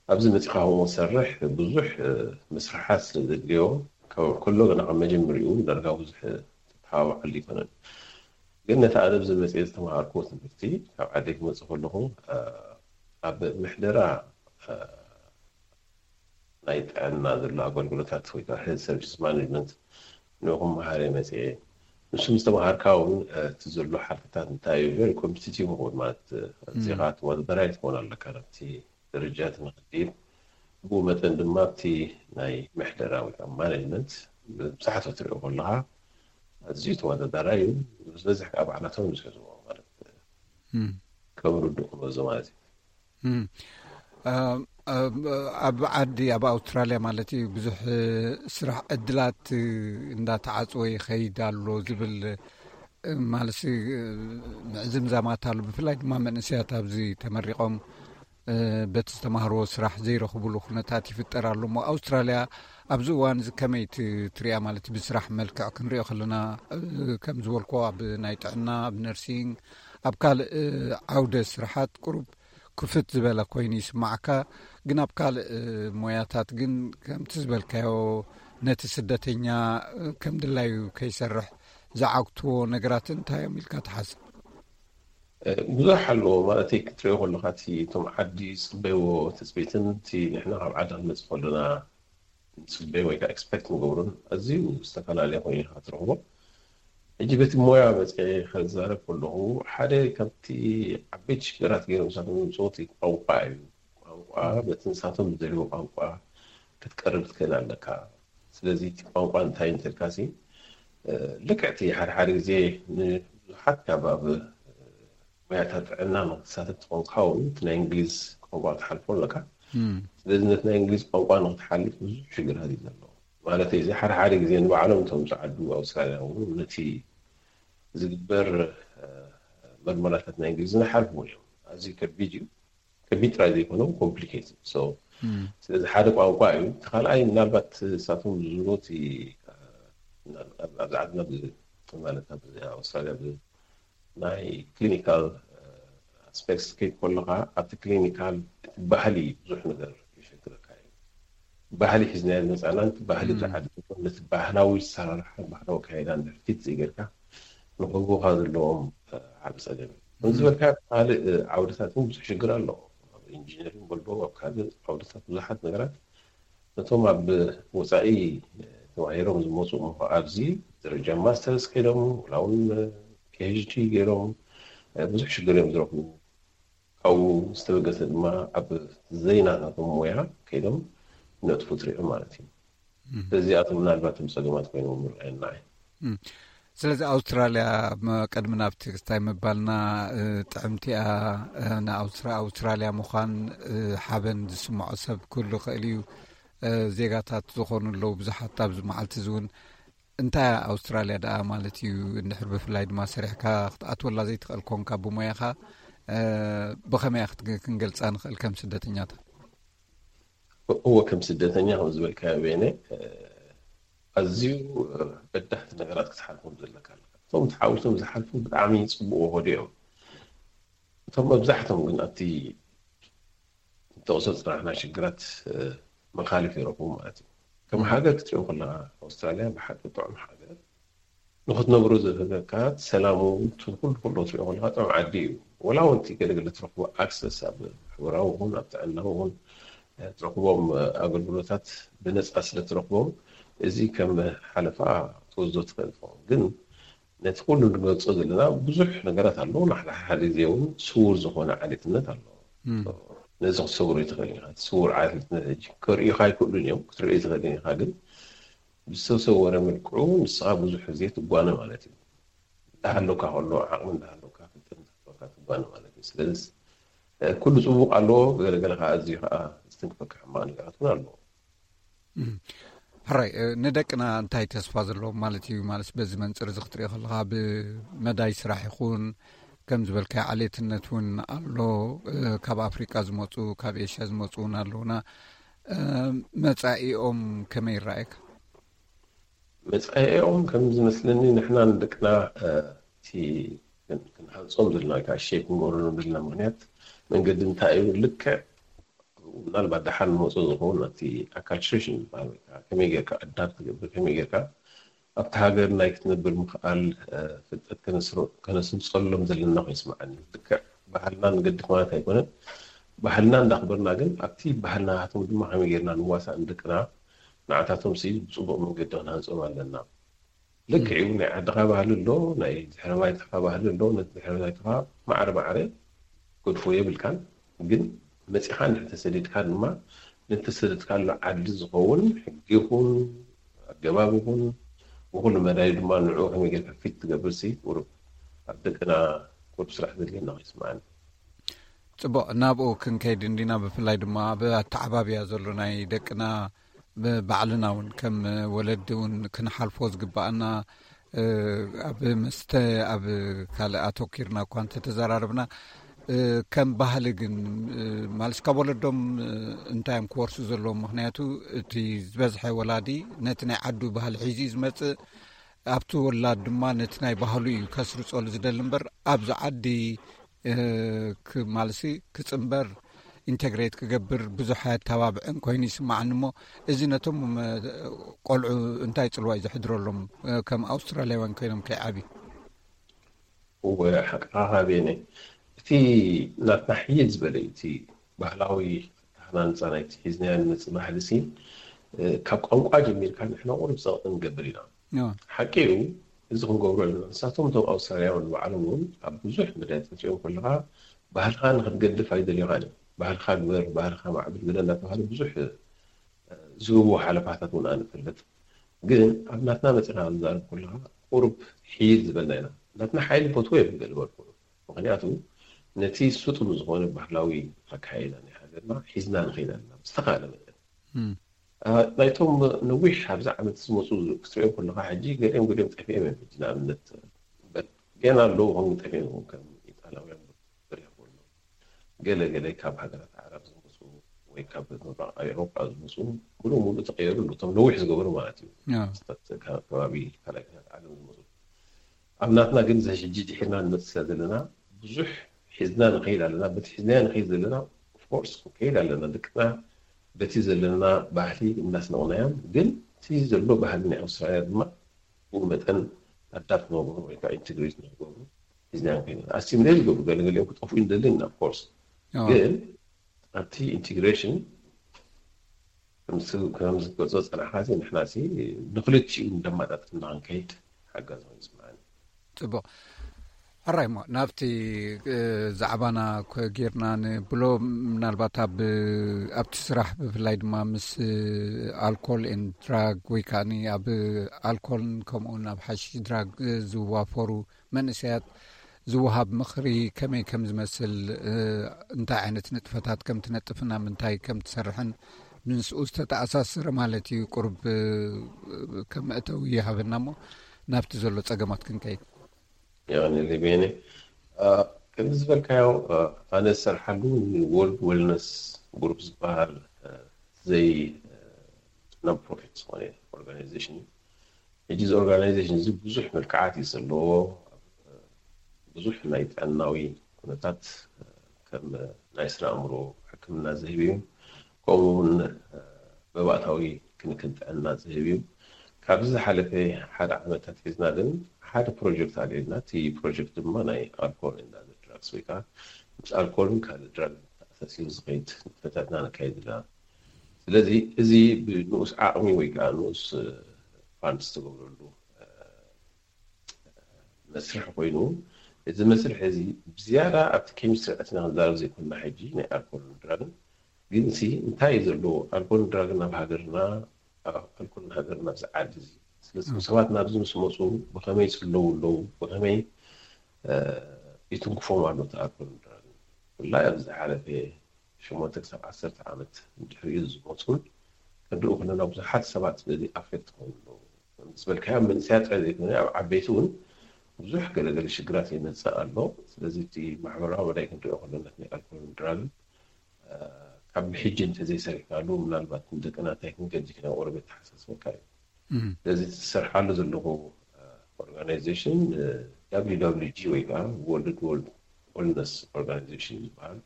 ኣብዚ መፂኻ ከምኡ ትሰርሕ፣ ብዙሕ፣ እ፣ ምስርሓት ስለ ዘድልዮ፣ ካብ ከሎ ገና ካብ መጀመሪኡ ዳርጋ ብዙሕ ተተሓባብዓሉ ኣይኮነን። ግን ነቲ ኣነ ኣብዚ መፅየ ዝተምሃርኩዎ ትምህርቲ፣ ካብ ዓደይ ክመፅእ ከለኹ፣ እ፣ ኣብ ምሕደራ፣ እ፣ ናይ ጥዕና ዘሎ ኣገልግሎታት ወይ ከዓ ሄልት ሰርቪስ ማኔጅመንት ንኡ ክመሃር እየ መፅየ። ንሱ ምስ ተምሃርካ እውን፣ እ፣ እቲ ዘሎ ሓድግታት እንታይ እዩ፣ ቨሪ ኮምፒቲቲቭ ይኸውን ማለት፣ እ፣ እም። ዜጋ ተወዳዳራይ ትኸውን ኣለካ ናብቲ ደረጃ እቲ ንኽትድይብ። ብኡ መጠን ድማ ኣብቲ ናይ ምሕደራ ወይ ከዓ ማኔጅመንት ብብዝሓት ክትሪኦ ከለኻ ኣዝዩ ተወዳዳራይ እዩ። ዝበዝሕ ከዓ ባዕላቶም ዝሕዝዎ ማለት፣ እ፣ እም። ከም ርዱእ ክንወስዶ ማለት እዩ። እም። እ፣ እ፣ ኣብ ዓዲ፣ ኣብ ኣውስትራልያ ማለት እዩ፣ ብዙሕ፣ እ፣ ስራሕ ዕድላት፣ እ፣ እንዳተዓጽወ ይኸይድ ኣሎ ዝብል፣ እ፣ ማለት፣ እ፣ ምዕዝምዛማት ኣሎ። ብፍላይ ድማ መንእሰያት ኣብዚ ተመሪቖም፣ እ፣ በቲ ዝተማህርዎ ስራሕ ዘይረኽብሉ ኩነታት ይፍጠር ኣሎ። እሞ ኣውስትራልያ ኣብዚ እዋን እዚ ከመይ ት-፣ ትሪኣ? ማለት ብስራሕ መልክዕ ክንሪኦ ከለና፣ እ፣ ከም ዝበልኮ ኣብ ናይ ጥዕና፣ ኣብ ነርሲንግ፣ ኣብ ካልእ፣ እ፣ ዓውደ ስራሓት ቁሩብ ክፍት ዝበለ ኮይኑ ይስማዓካ። ግን ኣብ ካልእ፣ እ፣ ሞያታት ግን ከምቲ ዝበልካዮ ነቲ ስደተኛ፣ እ፣ ከም ድላዩ ከይሰርሕ ዝዓግትዎ ነገራት እንታይ እዮም ኢልካ ትሓስብ? እ፣ ብዙሕ ኣለዎ ማለት እዩ። ክትሪኦ ከለኻ እቲ እቶም ዓዲ ዝፅበይዎ ትፅቢትን እቲ ንሕና ካብ ዓዲ ክንመፅእ ከለና ንፅበይ ወይ ከዓ ኤክስፔክት ንገብሮን ኣዝዩ ዝተፈላለየ ኮይኑ ኢኻ ትረኽቦ። ሕጂ በቲ ሞያ መፅየ ከዛረብ ከለኹ ሓደ ካብቲ ዓበይቲ ሽግራት ገይሮም ንሳቶም ዘምፅኦ እቲ ቋንቋ እዩ። ቋንቋ በቲ ንሳቶም ዝደልይዎ ቋንቋ ክትቀርብ ትኽእል ኣለካ። ስለዚ እቲ ቋንቋ እንታይ እንተልካሲ፣ እ፣ ልክዕ እቲ ሓደ ሓደ ግዜ ንብዙሓት ካብ ኣብ ሞያታት ጥዕና ንክትሳተፍ ትኾንካ እውን እቲ ናይ እንግሊዝ ቋንቋ ክትሓልፎ ኣለካ። እም። ስለዚ ነቲ ናይ እንግሊዝ ቋንቋ ንክትሓልፍ ብዙሕ ሽግራት እዩ ዘሎ። ማለት እዚ ሓደ ሓደ ግዜ ንባዕሎም እቶም ዝዓዱ ኣውስትራልያ እውን ነቲ ዝግበር፣ እ፣ መርመራታት ናይ እንግሊዝ ንሓልፍዎ እዮም። ኣዝዩ ከቢድ እዩ። ከቢድ ጥራይ ዘይኮነ ኮምፕሊኬትድ። ሶ እም። ስለዚ ሓደ ቋንቋ እዩ። እቲ ካልኣይ ምናልባት ንሳቶም ዝብልዎ እቲ፣ እ፣ ኣብ፣ ኣብዚ ዓድና ብ-፣ ማለት ኣብ ኣውስትራልያ ብ-፣ ናይ ክሊኒካል፣ እ፣ ኣስፔክትስ ከይድ ከለኻ ኣብቲ ክሊኒካል እቲ ባህሊ ብዙሕ ነገር የሸግረካ እዩ። ባህሊ ሒዝናዮ ዝመፃና፣ ነቲ ባህሊ እም። ዝዓዲ ነቲ ባህላዊ ኣሰራርሓ፣ ባህላዊ ኣካይዳ እንድሕር ፊት ዘይገርካ ንክህቡኻ ዘለዎም፣ እ፣ ዓቢ ጸገም እዩ። ከም እም። ዝበልካ ካልእ፣ እ፣ ዓውድታት እውን ብዙሕ ሽግር ኣሎ። ኣብ ኢንጂነሪንግ በሎ፣ ኣብ ካልእ ዓውድታት ብዙሓት ነገራት ነቶም ኣብ ወጻኢ፣ እ፣ ተማሂሮም ዝመጹ እሞ ኣብዚ ደረጃ ማስተርስ ከይዶም፣ ወላ እውን፣ እ፣ ፒ ኤች ዲ ገይሮም፣ እ፣ ብዙሕ ሽግር እዮም ዝረኽቡ። ካብኡ ዝተበገሰ ድማ ኣብ ዘይናታቶም ሞያ ከይዶም ነጥፉ ትሪኦ ማለት እዩ። እዚኣቶም ምናልባት ም ጸገማት ኮይኖም ምርኣየና እዩ። ስለዚ ኣውስትራልያ፣ ቅድሚ ናብቲ ክስታይ ምባልና፣ ጥዕምቲኣ ንኣውስትራልያ ምዃን ሓበን ዝስምዖ ሰብ ክህሉ ክእል እዩ። ዜጋታት ዝኾኑ ኣለዉ ብዙሓት ኣብዚ መዓልቲ እዚ እውን። እንታይ ኣውስትራልያ ደኣ ማለት እዩ? እንድሕር ብፍላይ ድማ ሰሪሕካ ክትኣትወላ ዘይትኽእል ኮንካ ብሞያኻ፣ ብኸመይ ክንገልፃ ንኽእል ከም ስደተኛታት? እወ፣ ከም ስደተኛ ከም ዝበልካዮ ቤነ፣ ኣዝዩ በዳህቲ ነገራት ክትሓልፎም ዘለካ ኣለካ። እቶም ተሓዊሶም ዝሓልፉ ብጣዕሚ ፅቡቅ ወዲ እዮም። እቶም መብዛሕቶም ግን ኣብቲ ተቕሶ ፅናሕና ሽግራት መኻልፍ ይረኽቡ ማለት እዩ። ከም ሃገር ክትሪኦ ከለካ ኣውስትራልያ ብሓቂ ጥዑም ሃገር፣ ንክትነብሮ ዝህበካ ሰላሙ፣ ኩሉ ኩሉ ትሪኦ ከለካ ጥዑም ዓዲ እዩ። ወላ እውን እቲ ገለገለ ትረኽቦ ኣክሰስ ኣብ ማሕበራዊ ይኹን ኣብ ጥዕና ይኹን ትረኽቦም ኣገልግሎታት ብነፃ ስለ ትረኽቦም፣ እዚ ከም ሓለፋ ትወስዶ ትኽእል ትኸውን። ግን ነቲ ኩሉ ንገልፆ ዘለና ብዙሕ ነገራት ኣለዎ። ንሓደ ሓደ ግዜ እውን ስውር ዝኾነ ዓሌትነት ኣለዎ። ነዚ ክትሰብሮ ይትኽእል ኢኻ። እቲ ስውር ዓሌትነት ሕጂ ከርእዩኻ ኣይክእሉን እዮም፣ ክትርእዮ ትኽእል ኢኻ። ግን ብዝተሰወረ መልክዑ ንስኻ ብዙሕ ግዜ ትጓነ ማለት እዩ። እንዳሃለካ ከሎ ዓቕሚ እንዳሃለካ ፍልጠት እንዳሃለካ ትጓነ ማለት እዩ። ስለዚ ኩሉ ፅቡቅ ኣለዎ፣ ገለገለ ከዓ ኣዝዩ ከዓ ዝትንክፈካ ሕማቅ ነገራት እውን ኣለዎ። ሕራይ፣ ንደቅና እንታይ ተስፋ ዘለዎም ማለት እዩ? ማለት በዚ መንፅር እዚ ክትሪኦ ከለካ ብመዳይ ስራሕ ይኹን ከም ዝበልካዮ ዓሌትነት እውን ኣሎ። ካብ ኣፍሪቃ ዝመፁ፣ ካብ ኤሽያ ዝመፁ እውን ኣለውና። መፃኢኦም ከመይ ይረኣየካ? መፃኢኦም ከም ዝመስለኒ ንሕና ንደቅና እቲ ክንሃንፆም ዘለና ወይ ከዓ ሸይፕ ክንገብረሎም ዘለና ምክንያት መንገዲ እንታይ እዩ? ልክዕ ምናልባት ደሓን ንመፁ ዝኸውን እቲ ኣካልትሬሽን ዝበሃል ወይ ከዓ ከመይ ጌርካ ኣዳፕት ትገብር፣ ከመይ ጌርካ ኣብቲ ሃገር ናይ ክትነብር ምኽኣል ፍልጠት ከነስርፀሎም ዘለና ኮይኑ ይስምዓኒ። ልክዕ ባህልና ንገድፍ ማለት ኣይኮነን። ባህልና እንዳኽበርና ግን ኣብቲ ባህልናቶም ድማ ከመይ ጌርና ንዋሳእ ንደቅና ንዓታቶም ሲ ብፅቡቅ መንገዲ ክንሃንፆም ኣለና። ልክዕ እዩ። ናይ ዓድኻ ባህሊ ኣሎ፣ ናይ ድሕረ ባይታኻ ባህሊ ኣሎ። ነቲ ድሕረ ባይታኻ ማዕረ ማዕረ ገድፎ የብልካን። ግን መፂኻ እንድሕር ተሰዲድካ ድማ ንተሰደድካሉ ዓዲ ዝኸውን ሕጊ ይኹን ኣገባብ ይኹን ብኩሉ መዳይ ድማ ንዕኡ ከመይ ጌርካ ፊት ትገብር ሲ ቁሩብ ኣብ ደቅና ቁሩብ ስራሕ ዘድልየና ይስምዓኒ። ፅቡቅ፣ ናብኡ ክንከይድ እንዲና። ብፍላይ ድማ ኣብ ኣተዓባብያ ዘሎ ናይ ደቅና ብባዕልና እውን ከም ወለዲ እውን ክንሓልፎ ዝግባኣና ኣብ መስተ ኣብ ካልእ ኣተኪርና እኳ እንተተዘራረብና ከም ባህሊ ግን ማለት ካብ ወለዶም እንታይ እዮም ክወርሱ ዘለዎም? ምክንያቱ እቲ ዝበዝሐ ወላዲ ነቲ ናይ ዓዱ ባህሊ ሒዙ እዩ ዝመፅእ። ኣብቲ ወላድ ድማ ነቲ ናይ ባህሉ እዩ ከስርፀሉ ዝደሊ እምበር ኣብዚ ዓዲ ማለት ክፅንበር ኢንተግሬት ክገብር ብዙሕ ኣተባብዕን ኮይኑ ይስማዓኒ። እሞ እዚ ነቶም ቆልዑ እንታይ ፅልዋ እዩ ዘሕድረሎም? ከም ኣውስትራልያውያን ኮይኖም ከይዓብዩ። እወ፣ ሓቅኻ ቤነ፣ እቲ ናትና ሕይል ዝበለ እቲ ባህላዊ ኣተሃናንፃ ናይቲ ሒዝናዮ ንመፅእ ባህሊ ሲ ካብ ቋንቋ ጀሚርካ ንሕና ቁሩብ ፀቕጢ ንገብር ኢና። ሓቂ እዩ፣ እዚ ክንገብሮ ኣለና። ንሳቶም እቶም ኣውስትራልያውያን ንባዕሎም እውን ኣብ ብዙሕ መዳይ ትሪኦም ከለካ ባህልካ ንክትገድፍ ኣይደልዩካን እዮም። ባህልካ ግበር፣ ባህልካ ማዕብል ግደ እናተባሃለ ብዙሕ ዝህብዎ ሓለፋታት እውን ኣነ እፈልጥ። ግን ኣብ ናትና መፂና ንዛረብ ከለካ ቁሩብ ሕይል ዝበልና ኢና። ናትና ሓይሊ ፈትዎ እዮም ገለ በልኩ። ምክንያቱ ነቲ ስጡም ዝኾነ ባህላዊ ኣካይዳ ናይ ሃገርና ሒዝና ንኸይድ ኣለና ብዝተኻለ መጠን። ናይቶም ነዊሕ ኣብዚ ዓመት ዝመፁ ክትሪኦም ከለካ ሕጂ ገሊኦም ገሊኦም ጠፊኦም እዮም። ሕጂ ንኣብነት ገና ኣለዉ ከም ጠፊኦም ከም ኢጣልያውያን ገለ ገለ ካብ ሃገራት ዓረብ ዝመፁ ወይ ካብ ምብራቕ ኤውሮጳ ዝመፁ ሙሉእ ሙሉእ ተቐየሩ ኣለዉ። እቶም ነዊሕ ዝገበሩ ማለት እዩ። ኣዎ። ክስተት ከ-፣ ከባቢ ካልኣይ ኩናት ዓለም ዝመፁ። ኣብ ናትና ግን እዚ ሕጂ ድሒርና ንመፅእ ዘለና ብዙሕ ሒዝና ንኸይድ ኣለና። በቲ ሒዝናዮ ንኸይድ ዘለና ኦፍኮርስ ክንከይድ ኣለና። ደቅና በቲ ዘለና ባህሊ እናስነቕናዮም፣ ግን እቲ ዘሎ ባህሊ ናይ ኣውስትራልያ ድማ ብኡ መጠን ኣዳፕት ንክገብሩ ወይ ከዓ ኢንትግሬት ንክገብሩ ሒዝናዮም ከይድ ኣለና። ኣሲሚሌት ዝገብሩ ገለገሊኦም ክጠፍኡ እንደሊ ኢና ኦፍኮርስ። ኣዎ። ግን ኣብቲ ኢንቲግሬሽን ከም ዝገልጾ ዝጸናሕካ ሲ ንሕና ሲ ንክልቲኡ እንደማጣጥምና ክንከይድ ሓጋዚ ኮይኑ ይስምዓኒ። ጽቡቕ። ኣራይሞ ናብቲ ዛዕባና ጌርና ንብሎ፣ ምናልባት ኣብቲ ስራሕ ብፍላይ ድማ ምስ ኣልኮል ን ድራግ ወይ ከዓ ኣብ ኣልኮልን ከምኡውን ኣብ ሓሽሽ ድራግ ዝዋፈሩ መንእሰያት ዝወሃብ ምኽሪ ከመይ ከም ዝመስል፣ እንታይ ዓይነት ንጥፈታት ከም ትነጥፍና ምንታይ ከም ትሰርሕን ምስኡ ዝተተኣሳሰረ ማለት እዩ። ቁርብ ከም መእተዊ ይሃበና እሞ ናብቲ ዘሎ ጸገማት ክንከይድ። የቐንየለይ ቤኒ። ከምዚ ዝበልካዮ፣ ኣነ ዝሰርሓሉ ወርልድ ዌልነስ ግሩፕ ዝበሃል ዘይ non profit ዝኾነ ኦርጋናይዜሽን እዩ። ሕጂ እዚ ኦርጋናይዜሽን እዚ ብዙሕ መልክዓት እዩ ዘለዎ። ብዙሕ ናይ ጥዕናዊ ኩነታት ከም ናይ ስነ ኣእምሮ ሕክምና ዝህብ እዩ። ከምኡ እውን መባእታዊ ክንክን ጥዕና ዝህብ እዩ። ካብዚ ዝሓለፈ ሓደ ዓመታት ሒዝና ግን ሓደ ፕሮጀክት ኣልዒልና፣ እቲ ፕሮጀክት ድማ ናይ ኣልኮል and other drugs ወይ ከዓ ምስ ኣልኮልን ካልእ ድራግ ተኣሳሲሩ ዝኸይድ ንጥፈታትና ነካይድ ኣለና። ስለዚ እዚ ብንኡስ ዓቕሚ ወይ ከዓ ንኡስ ፋንድ ዝተገብረሉ መስርሕ ኮይኑ፣ እዚ መስርሕ እዚ ብዝያዳ ኣብቲ ኬሚስትሪ ኣቲና ክንዛረብ ዘይኮንና፣ ሕጂ ናይ ኣልኮልን ድራግን ግን ሲ እንታይ እዩ ዘለዎ? ኣልኮልን ድራግን ናብ ሃገርና፣ ኣልኮልን ሃገርና ኣብዚ ዓዲ እዚ ስለዚ ሰባት ናብዚ ምስ መፁ ብኸመይ ይፅለዉ ኣለዉ፣ ብኸመይ ይትንክፎም ኣሎ እቲ ኣልኮልን ድራግን? ብፍላይ ኣብዚ ዝሓለፈ ሸሞንተ ክሳብ ዓሰርተ ዓመት ድሕሪኡ ዝመፁን ክንሪኡ ከለና ብዙሓት ሰባት በዚ ኣፌክት ክኾኑ ኣለዉ። ዝበልካዮ መንእሰያት ጥራይ ዘይኮነ ኣብ ዓበይቲ እውን ብዙሕ ገለገለ ሽግራት ይመፅእ ኣሎ። ስለዚ እቲ ማሕበራዊ መዳይ ክንሪኦ ከለና ናይ ኣልኮልን ድራግን ካብ ብሕጂ እንተዘይሰሪሕካሉ ምናልባት ንደቅና እንታይ ክንገድፍ ኢና ቁሩብ የተሓሳስበካ እዩ። ስለዚ ዝሰርሓሉ ዘለኹ ኦርጋናይዜሽን WWG ወይ ከዓ ወርልድ ዌልነስ ኦርጋናይዜሽን ዝበሃል።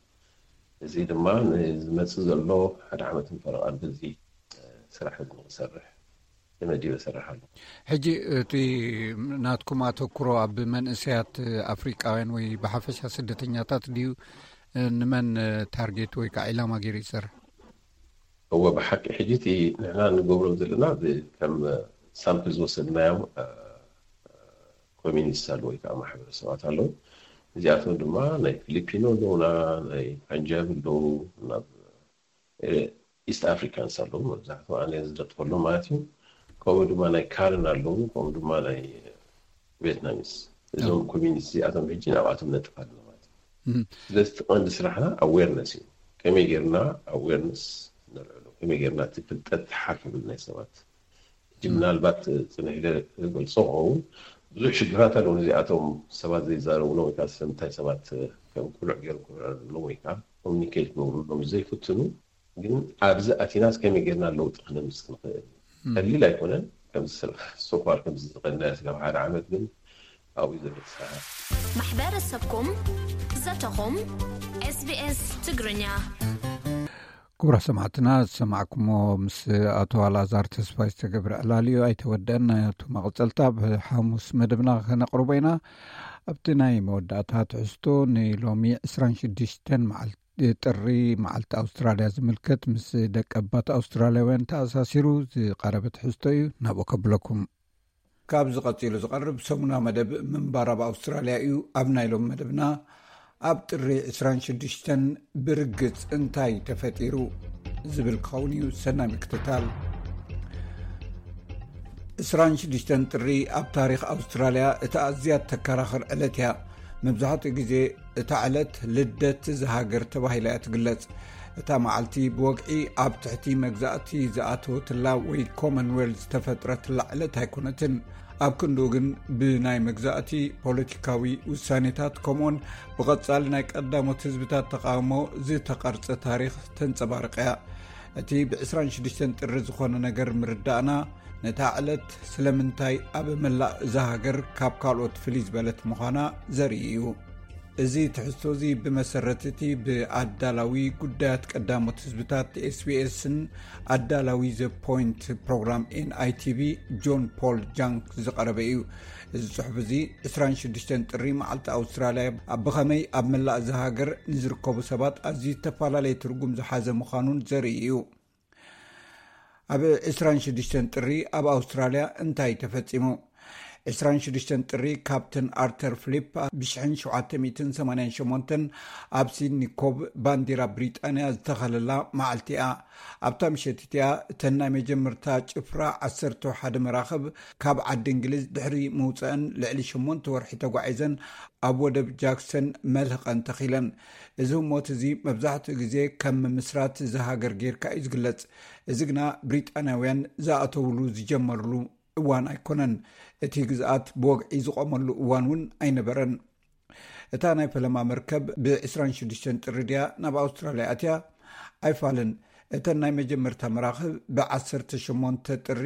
እዚ ድማ ንዝመፅእ ዘሎ ሓደ ዓመትን ፈረቓን በዚ ስራሕ እዚ ንክሰርሕ ተመዲበ እሰርሕ ኣለኹ። ሕጂ እቲ ናትኩም ኣተኩሮ ኣብ መንእሰያት ኣፍሪቃውያን ወይ ብሓፈሻ ስደተኛታት ድዩ? ንመን ታርጌት ወይ ከዓ ዒላማ ገይሩ ይሰርሕ? እወ ብሓቂ ሕጂ እቲ ንሕና ንገብሮ ዘለና ከም ሳምፕል ዝወሰድናዮም ኮሚኒቲስ ኣለዉ ወይ ከዓ ማሕበረሰባት ኣለዉ። እዚኣቶም ድማ ናይ ፊሊፒኖ ኣለዉና፣ ናይ ፓንጃብ ኣለዉ፣ ናብ ኢስት ኣፍሪካንስ ኣለዉ መብዛሕትኡ ኣነ ዝለጥፈሎም ማለት እዩ። ከምኡ ድማ ናይ ካርን ኣለዉ፣ ከምኡ ድማ ናይ ቬትናሚስ። እዞም ኮሚኒቲ እዚኣቶም ሕጂ ናብኣቶም ነጥፍ ኣለና ማለት እዩ። ስለዚ እቲ ቀንዲ ስራሕና ኣዌርነስ እዩ። ከመይ ጌርና ኣዌርነስ ነልዕሎ፣ ከመይ ጌርና እቲ ፍልጠት ሓፍ ይብል ናይ ሰባት። ሕጂ ምናልባት ፅንሕ ኢለ ክገልፆ ክኸውን ብዙሕ ሽግራት ኣለዉ። እዚኣቶም ሰባት ዘይዛረብሎም ወይ ከዓ ስለምንታይ ሰባት ከም ቁሉዕ ገይሮም ክረኣሎም ወይ ከዓ ኮሚኒኬት ክገብሩሎም ዘይፍትኑ፣ ግን ኣብዚ ኣቲናስ ከመይ ጌርና ለውጢ ክነምፅእ ንኽእል? ቀሊል ኣይኮነን። ከምዚ ሶፋር ከምዚ ዝቐድናዮ ስጋብ ሓደ ዓመት ግን ኣብኡ ዘሎ ተሰራ። ማሕበረሰብኩም ዘተኹም SBS ትግርኛ። ክቡራ ሰማዕትና ዝሰማዕኩሞ ምስ ኣቶ ኣልኣዛር ተስፋይ ዝተገብረ ዕላል እዩ፣ ኣይተወደአን። ናይ ኣቶ መቐጸልታ ኣብ ሓሙስ መደብና ከነቕርቦ ኢና። ኣብቲ ናይ መወዳእታ ትሕዝቶ ንሎሚ ዕስራን ሽዱሽተን መዓልቲ ጥሪ መዓልቲ ኣውስትራልያ ዝምልከት ምስ ደቂ ኣባት ኣውስትራልያውያን ተኣሳሲሩ ዝቐረበ ትሕዝቶ እዩ፣ ናብኡ ከብለኩም። ካብዚ ቀጺሉ ዝቐርብ ሰሙና መደብ ምንባር ኣብ ኣውስትራልያ እዩ። ኣብ ናይ ሎም መደብና ኣብ ጥሪ ዕስራን ሽዱሽተን ብርግጽ እንታይ ተፈጢሩ ዝብል ክኸውን እዩ። ሰናይ ምክትታል። ዕስራን ሽዱሽተን ጥሪ ኣብ ታሪኽ ኣውስትራልያ እታ ኣዝያ ተከራኽር ዕለት እያ። መብዛሕትኡ ግዜ እታ ዕለት ልደት እዛ ሃገር ተባሂላ እያ ትግለጽ። እታ መዓልቲ ብወግዒ ኣብ ትሕቲ መግዛእቲ ዝኣተወትላ ወይ ኮመንዌልዝ ዝተፈጥረትላ ዕለት ኣይኮነትን። ኣብ ክንድኡ ግን ብናይ መግዛእቲ ፖለቲካዊ ውሳኔታት ከምኡውን ብቐጻሊ ናይ ቀዳሞት ህዝብታት ተቓውሞ ዝተቐርጸ ታሪኽ ተንጸባርቕ እያ። እቲ ብ ዕስራን ሽዱሽተን ጥሪ ዝኾነ ነገር ምርዳእና ነታ ዕለት ስለምንታይ ኣብ መላእ እዛ ሃገር ካብ ካልኦት ፍልይ ዝበለት ምዃና ዘርኢ እዩ። እዚ ትሕዝቶ እዚ ብመሰረት እቲ ብኣዳላዊ ጉዳያት ቀዳሞት ህዝብታት SBS ን ኣዳላዊ ዘ ፖይንት ፕሮግራም NITV ጆን ፖል ጃንክ ዝቐረበ እዩ። እዚ ጽሑፍ እዚ ዕስራን ሽዱሽተን ጥሪ መዓልቲ ኣውስትራልያ ብኸመይ ኣብ መላእ እዛ ሃገር ንዝርከቡ ሰባት ኣዝዩ ዝተፈላለየ ትርጉም ዝሓዘ ምዃኑን ዘርኢ እዩ። ኣብ ዕስራን ሽዱሽተን ጥሪ ኣብ ኣውስትራልያ እንታይ ተፈጺሙ? ዕስራን ሽዱሽተን ጥሪ ካፕተን ኣርተር ፍሊፕ ብ ሸውዓተ ሚእትን ሰማንያን ሸሞንተን ኣብ ሲድኒ ኮቭ ባንዲራ ብሪጣንያ ዝተኸለላ መዓልቲ እያ። ኣብታ ምሸት እቲኣ እተን ናይ መጀመርታ ጭፍራ ዓሰርተ ሓደ መራኽብ ካብ ዓዲ እንግሊዝ ድሕሪ ምውፀአን ልዕሊ ሸሞንተ ወርሒ ተጓዒዘን ኣብ ወደብ ጃክሰን መልህቐን ተኺለን። እዚ ህሞት እዚ መብዛሕትኡ ግዜ ከም ምምስራት እዚ ሃገር ጌርካ እዩ ዝግለጽ። እዚ ግና ብሪጣንያውያን ዝኣተውሉ ዝጀመርሉ እዋን ኣይኮነን። እቲ ግዝኣት ብወግዒ ዝቖመሉ እዋን እውን ኣይነበረን። እታ ናይ ፈለማ መርከብ ብ ዕስራን ሽዱሽተን ጥሪ ድያ ናብ ኣውስትራልያ ኣትያ? ኣይፋልን። እተን ናይ መጀመርታ መራኽብ ብ ዓሰርተ ሸሞንተ ጥሪ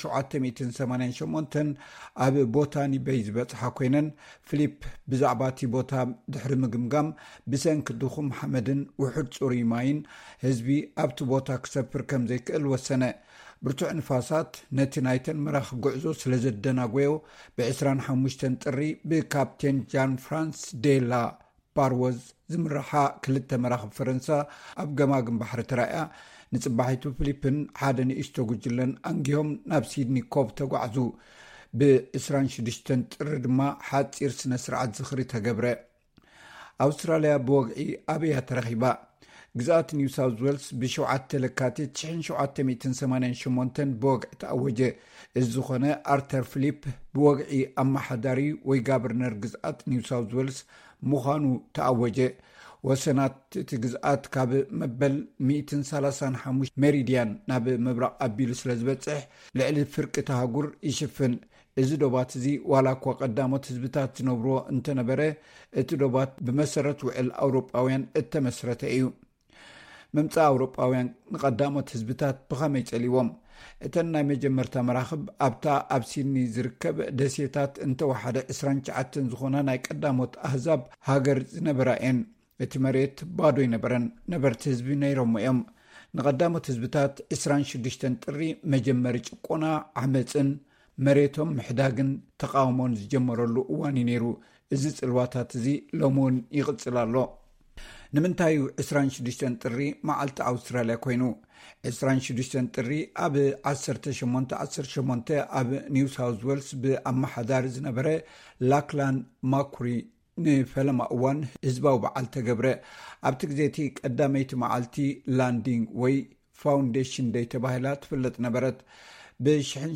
ሸውዓተ ሚእትን ሰማንያን ሸሞንተን ኣብ ቦታኒ በይ ዝበጽሓ ኮይነን፣ ፍሊፕ ብዛዕባ እቲ ቦታ ድሕሪ ምግምጋም፣ ብሰንኪ ድኹም ሓመድን ውሑድ ጽሩይ ማይን ህዝቢ ኣብቲ ቦታ ክሰፍር ከም ዘይክእል ወሰነ። ብርቱዕ ንፋሳት ነቲ ናይተን መራኽብ ጉዕዞ ስለ ዘደናጎዮ፣ ብ ዕስራን ሓሙሽተን ጥሪ ብካፕቴን ጃን ፍራንስ ዴላ ፓርወዝ ዝምርሓ ክልተ መራኽብ ፈረንሳ ኣብ ገማግም ባሕሪ ተራእያ፣ ንጽባሒቱ ፍሊፕን ሓደ ንእሽቶ ጉጅለን ኣንጊሆም ናብ ሲድኒ ኮቭ ተጓዕዙ። ብ ዕስራን ሽዱሽተን ጥሪ ድማ ሓጺር ስነ ስርዓት ዝኽሪ ተገብረ። ኣውስትራልያ ብወግዒ ኣበያ ተረኺባ? ግዝኣት ኒው ሳውዝ ዌልስ ብ ሸውዓተ ለካቲት ሸውዓተ ሚእትን ሰማንያን ሸሞንተን ብወግዒ ተኣወጀ። እዚ ዝኾነ ኣርተር ፍሊፕ ብወግዒ ኣመሓዳሪ ወይ ጋቨርነር ግዝኣት ኒው ሳውዝ ዌልስ ምዃኑ ተኣወጀ። ወሰናት እቲ ግዝኣት ካብ መበል ሚእትን ሰላሳን ሓሙሽተ ሜሪድያን ናብ ምብራቕ ኣቢሉ ስለ ዝበጽሕ፣ ልዕሊ ፍርቂ እቲ ኣህጉር ይሽፍን። እዚ ዶባት እዚ ዋላ እኳ ቀዳሞት ህዝብታት ዝነብርዎ እንተነበረ፣ እቲ ዶባት ብመሰረት ውዕል ኣውሮጳውያን እተመስረተ እዩ። ምምጻእ ኣውሮጳውያን ንቐዳሞት ህዝብታት ብኸመይ ጸሊዎም? እተን ናይ መጀመርታ መራኽብ ኣብታ ኣብ ሲድኒ ዝርከብ ደሴታት እንተወሓደ ዕስራን ትሽዓተን ዝኾና ናይ ቀዳሞት ኣህዛብ ሃገር ዝነበራ እየን። እቲ መሬት ባዶ ኣይነበረን፣ ነበርቲ ህዝቢ ነይሮሞ እዮም። ንቐዳሞት ህዝብታት ዕስራን ሽዱሽተን ጥሪ መጀመሪ ጭቆና፣ ዓመጽን መሬቶም ምሕዳግን ተቓውሞን ዝጀመረሉ እዋን እዩ ነይሩ። እዚ ጽልዋታት እዚ ሎሚ እውን ይቕጽል ኣሎ። ንምንታይ እዩ ዕስራን ሽዱሽተን ጥሪ መዓልቲ ኣውስትራልያ ኮይኑ? ዕስራን ሽዱሽተን ጥሪ ኣብ ዓሰርተ ሸሞንተ ዓሰርተ ሸሞንተ ኣብ ኒው ሳውዝ ዌልስ ብኣመሓዳሪ ዝነበረ ላክላን ማኩሪ ንፈለማ እዋን ህዝባዊ በዓል ተገብረ። ኣብቲ ግዜ እቲ ቀዳመይቲ መዓልቲ ላንዲንግ ወይ ፋውንዴሽን ደይ ተባሂላ ትፍለጥ ነበረት። ብ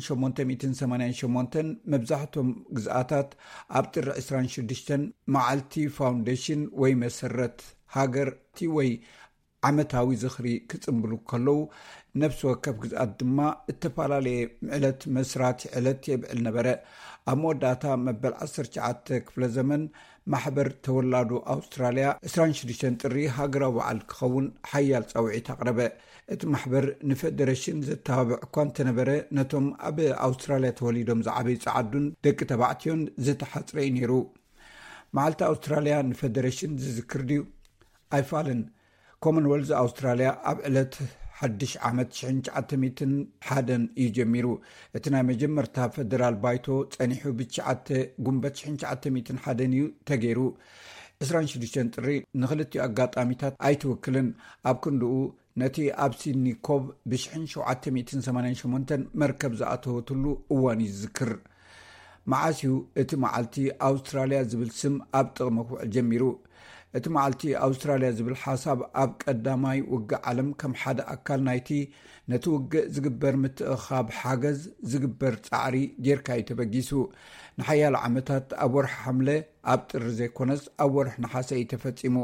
ሸሞንተ ሚእትን ሰማንያን ሸሞንተን መብዛሕቶም ግዝኣታት ኣብ ጥሪ ዕስራን ሽዱሽተን መዓልቲ ፋውንዴሽን ወይ መሰረት ሃገርቲ ወይ ዓመታዊ ዝኽሪ ክጽንብሉ ከለዉ፣ ነፍሲ ወከፍ ግዝኣት ድማ እተፈላለየ ዕለት መስራቲ ዕለት የብዕል ነበረ። ኣብ መወዳእታ መበል ዓሰርተ ትሽዓተ ክፍለ ዘመን ማሕበር ተወላዶ ኣውስትራልያ ዕስራን ሽዱሽተን ጥሪ ሃገራዊ በዓል ክኸውን ሓያል ጻውዒት ኣቕረበ። እቲ ማሕበር ንፈደረሽን ዘተባብዕ እኳ እንተነበረ፣ ነቶም ኣብ ኣውስትራልያ ተወሊዶም ዝዓበዩ ጸዓዱን ደቂ ተባዕትዮን ዝተሓጽረ እዩ ነይሩ። መዓልቲ ኣውስትራልያ ንፈደረሽን ዝዝክር ድዩ? ኣይፋልን። ኮመንወልዝ ኣውስትራልያ ኣብ ዕለት ሓድሽ ዓመት ሸሕን ትሽዓተ ሚእትን ሓደን እዩ ጀሚሩ። እቲ ናይ መጀመርታ ፈደራል ባይቶ ጸኒሑ ብትሽዓተ ጉንበት ሸሕን ትሽዓተ ሚእትን ሓደን እዩ ተገይሩ። ዕስራን ሽዱሽተን ጥሪ ንኽልቲኡ ኣጋጣሚታት ኣይትውክልን። ኣብ ክንድኡ ነቲ ኣብ ሲድኒ ኮብ ብሽሕን ሸውዓተ ሚእትን ሰማንያን ሸሞንተን መርከብ ዝኣተወትሉ እዋን እዩ ዝዝክር። መዓስ እዩ እቲ መዓልቲ ኣውስትራልያ ዝብል ስም ኣብ ጥቕሚ ክውዕል ጀሚሩ? እቲ መዓልቲ ኣውስትራልያ ዝብል ሓሳብ ኣብ ቀዳማይ ውግእ ዓለም ከም ሓደ ኣካል ናይቲ ነቲ ውግእ ዝግበር ምትእኻብ ሓገዝ ዝግበር ጻዕሪ ጌርካ እዩ ተበጊሱ። ንሓያሎ ዓመታት ኣብ ወርሒ ሓምለ ኣብ ጥሪ ዘይኮነስ ኣብ ወርሒ ነሓሰ እዩ ተፈጺሙ።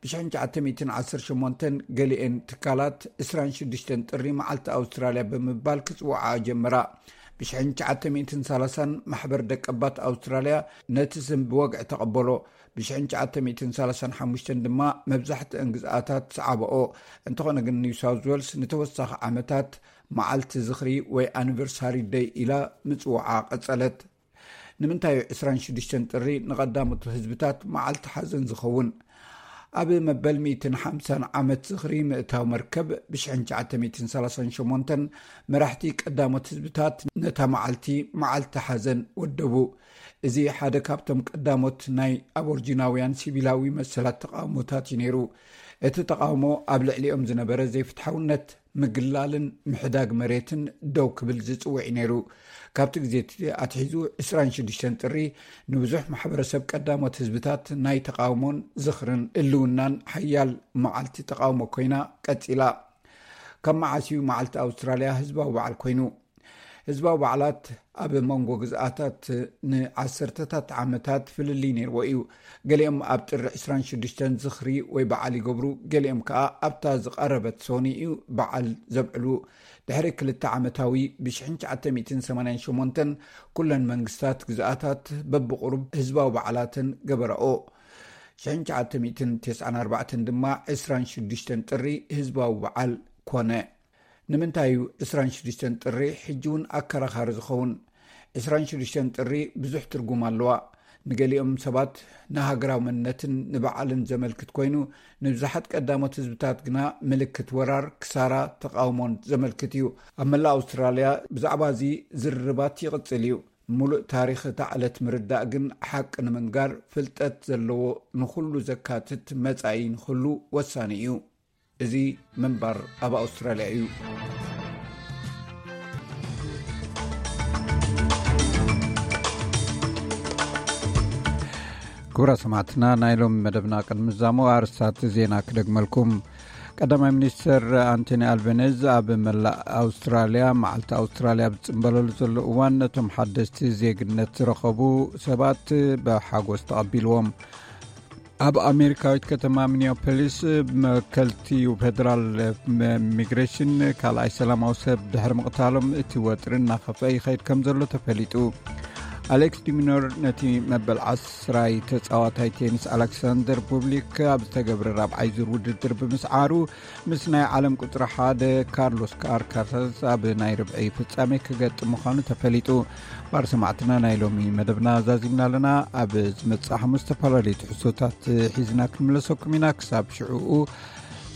ብሽሕን ትሽዓተ ሚእትን ዓሰርተ ሸሞንተን ገሊኤን ትካላት ዕስራን ሽዱሽተን ጥሪ መዓልቲ ኣውስትራልያ ብምባል ክጽውዓ ጀመራ። ብሽሕን ትሽዓተ ሚእትን ሰላሳን ማሕበር ደቀባት ኣውስትራልያ ነቲ ስም ብወግዒ ተቐበሎ። ብሽሕን ትሽዓተ ሚእትን ሰላሳን ሓሙሽተን ድማ መብዛሕትአን ግዝኣታት ሰዓበኦ። እንተኾነ ግን ኒው ሳውዝ ዌልስ ንተወሳኺ ዓመታት መዓልቲ ዝኽሪ ወይ ኣኒቨርሳሪ ደይ ኢላ ምጽውዓ ቀጸለት። ንምንታይ እዩ ዕስራን ሽዱሽተን ጥሪ ንቐዳሞት ህዝብታት መዓልቲ ሓዘን ዝኸውን? ኣብ መበል ሚእትን ሓምሳን ዓመት ዝኽሪ ምእታው መርከብ ብሽሕን ትሽዓተ ሚእትን ሰላሳን ሸሞንተን መራሕቲ ቀዳሞት ህዝብታት ነታ መዓልቲ መዓልቲ ሓዘን ወደቡ። እዚ ሓደ ካብቶም ቀዳሞት ናይ ኣቦርጂናውያን ሲቪላዊ መሰላት ተቓውሞታት እዩ ነይሩ። እቲ ተቓውሞ ኣብ ልዕሊኦም ዝነበረ ዘይፍትሓውነት፣ ምግላልን ምሕዳግ መሬትን ደው ክብል ዝጽውዕ እዩ ነይሩ። ካብቲ ግዜ እቲ ኣትሒዙ፣ ዕስራን ሽዱሽተን ጥሪ ንብዙሕ ማሕበረሰብ ቀዳሞት ህዝብታት ናይ ተቓውሞን ዝኽርን ህልውናን ሓያል መዓልቲ ተቓውሞ ኮይና ቀጺላ። ካብ መዓስ እዩ መዓልቲ ኣውስትራልያ ህዝባዊ በዓል ኮይኑ? ህዝባዊ በዓላት ኣብ መንጎ ግዝኣታት ንዓሰርተታት ዓመታት ፍልልይ ነይርዎ እዩ። ገሊኦም ኣብ ጥሪ ዕስራን ሽዱሽተን ዝኽሪ ወይ በዓል ይገብሩ፣ ገሊኦም ከኣ ኣብታ ዝቐረበት ሶኒ እዩ በዓል ዘብዕሉ። ድሕሪ ክልተ ዓመታዊ፣ ብ ሽሕን ትሽዓተ ሚእትን ሰማንያን ሸሞንተን ኩለን መንግስታት ግዝኣታት በብቑሩብ ህዝባዊ በዓላተን ገበራኦ። ሽሕን ትሽዓተ ሚእትን ተስዓን ኣርባዕተን ድማ ዕስራን ሽዱሽተን ጥሪ ህዝባዊ በዓል ኮነ። ንምንታይ እዩ ዕስራን ሽዱሽተን ጥሪ ሕጂ እውን ኣከራኻሪ ዝኸውን? ዕስራን ሽዱሽተን ጥሪ ብዙሕ ትርጉም ኣለዋ። ንገሊኦም ሰባት ንሃገራዊ መንነትን ንበዓልን ዘመልክት ኮይኑ፣ ንብዙሓት ቀዳሞት ህዝብታት ግና ምልክት ወራር፣ ክሳራ፣ ተቓውሞን ዘመልክት እዩ። ኣብ መላእ ኣውስትራልያ ብዛዕባ እዚ ዝርርባት ይቕጽል እዩ። ምሉእ ታሪኽ እታ ዕለት ምርዳእ ግን፣ ሓቂ ንምንጋር ፍልጠት ዘለዎ፣ ንኹሉ ዘካትት መጻኢ ንኽህሉ ወሳኒ እዩ። እዚ ምንባር ኣብ ኣውስትራልያ እዩ። ክቡራት ሰማዕትና፣ ናይ ሎሚ መደብና ቅድሚ ምዛሙ ኣርስታት ዜና ክደግመልኩም። ቀዳማይ ሚኒስትር ኣንቶኒ ኣልበነዝ ኣብ መላእ ኣውስትራልያ መዓልቲ ኣውስትራልያ ኣብ ዝጽንበለሉ ዘሎ እዋን፣ ነቶም ሓደስቲ ዜግነት ዝረኸቡ ሰባት ብሓጎስ ተቐቢልዎም። ኣብ ኣሜሪካዊት ከተማ ሚኒያፖሊስ፣ መከልቲ ፌደራል ኢሚግሬሽን ካልኣይ ሰላማዊ ሰብ ድሕሪ ምቕታሎም፣ እቲ ወጥሪ እናኸፍአ ይኸይድ ከም ዘሎ ተፈሊጡ። ኣሌክስ ዲሚኖር ነቲ መበል ዓስራይ ተጻዋታይ ቴኒስ ኣሌክሳንደር ቡብሊክ ኣብ ዝተገብረ ራብዓይ ዙር ውድድር ብምስዓሩ፣ ምስ ናይ ዓለም ቁጽሪ ሓደ ካርሎስ ኣልካራዝ ኣብ ናይ ርብዒ ፍጻሜ ክገጥም ምዃኑ ተፈሊጡ። ባር ሰማዕትና፣ ናይ ሎሚ መደብና ዛዚምና ኣለና። ኣብ ዝመጽእ ሓሙስ ዝተፈላለዩ ትሕዝቶታት ሒዝና ክንምለሰኩም ኢና። ክሳብ ሽዕኡ፣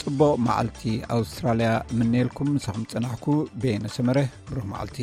ጽቡቕ መዓልቲ ኣውስትራልያ ምነየልኩም። ምሳኹም ጸናሕኩ በየነ ሰመረ። ብሩህ መዓልቲ።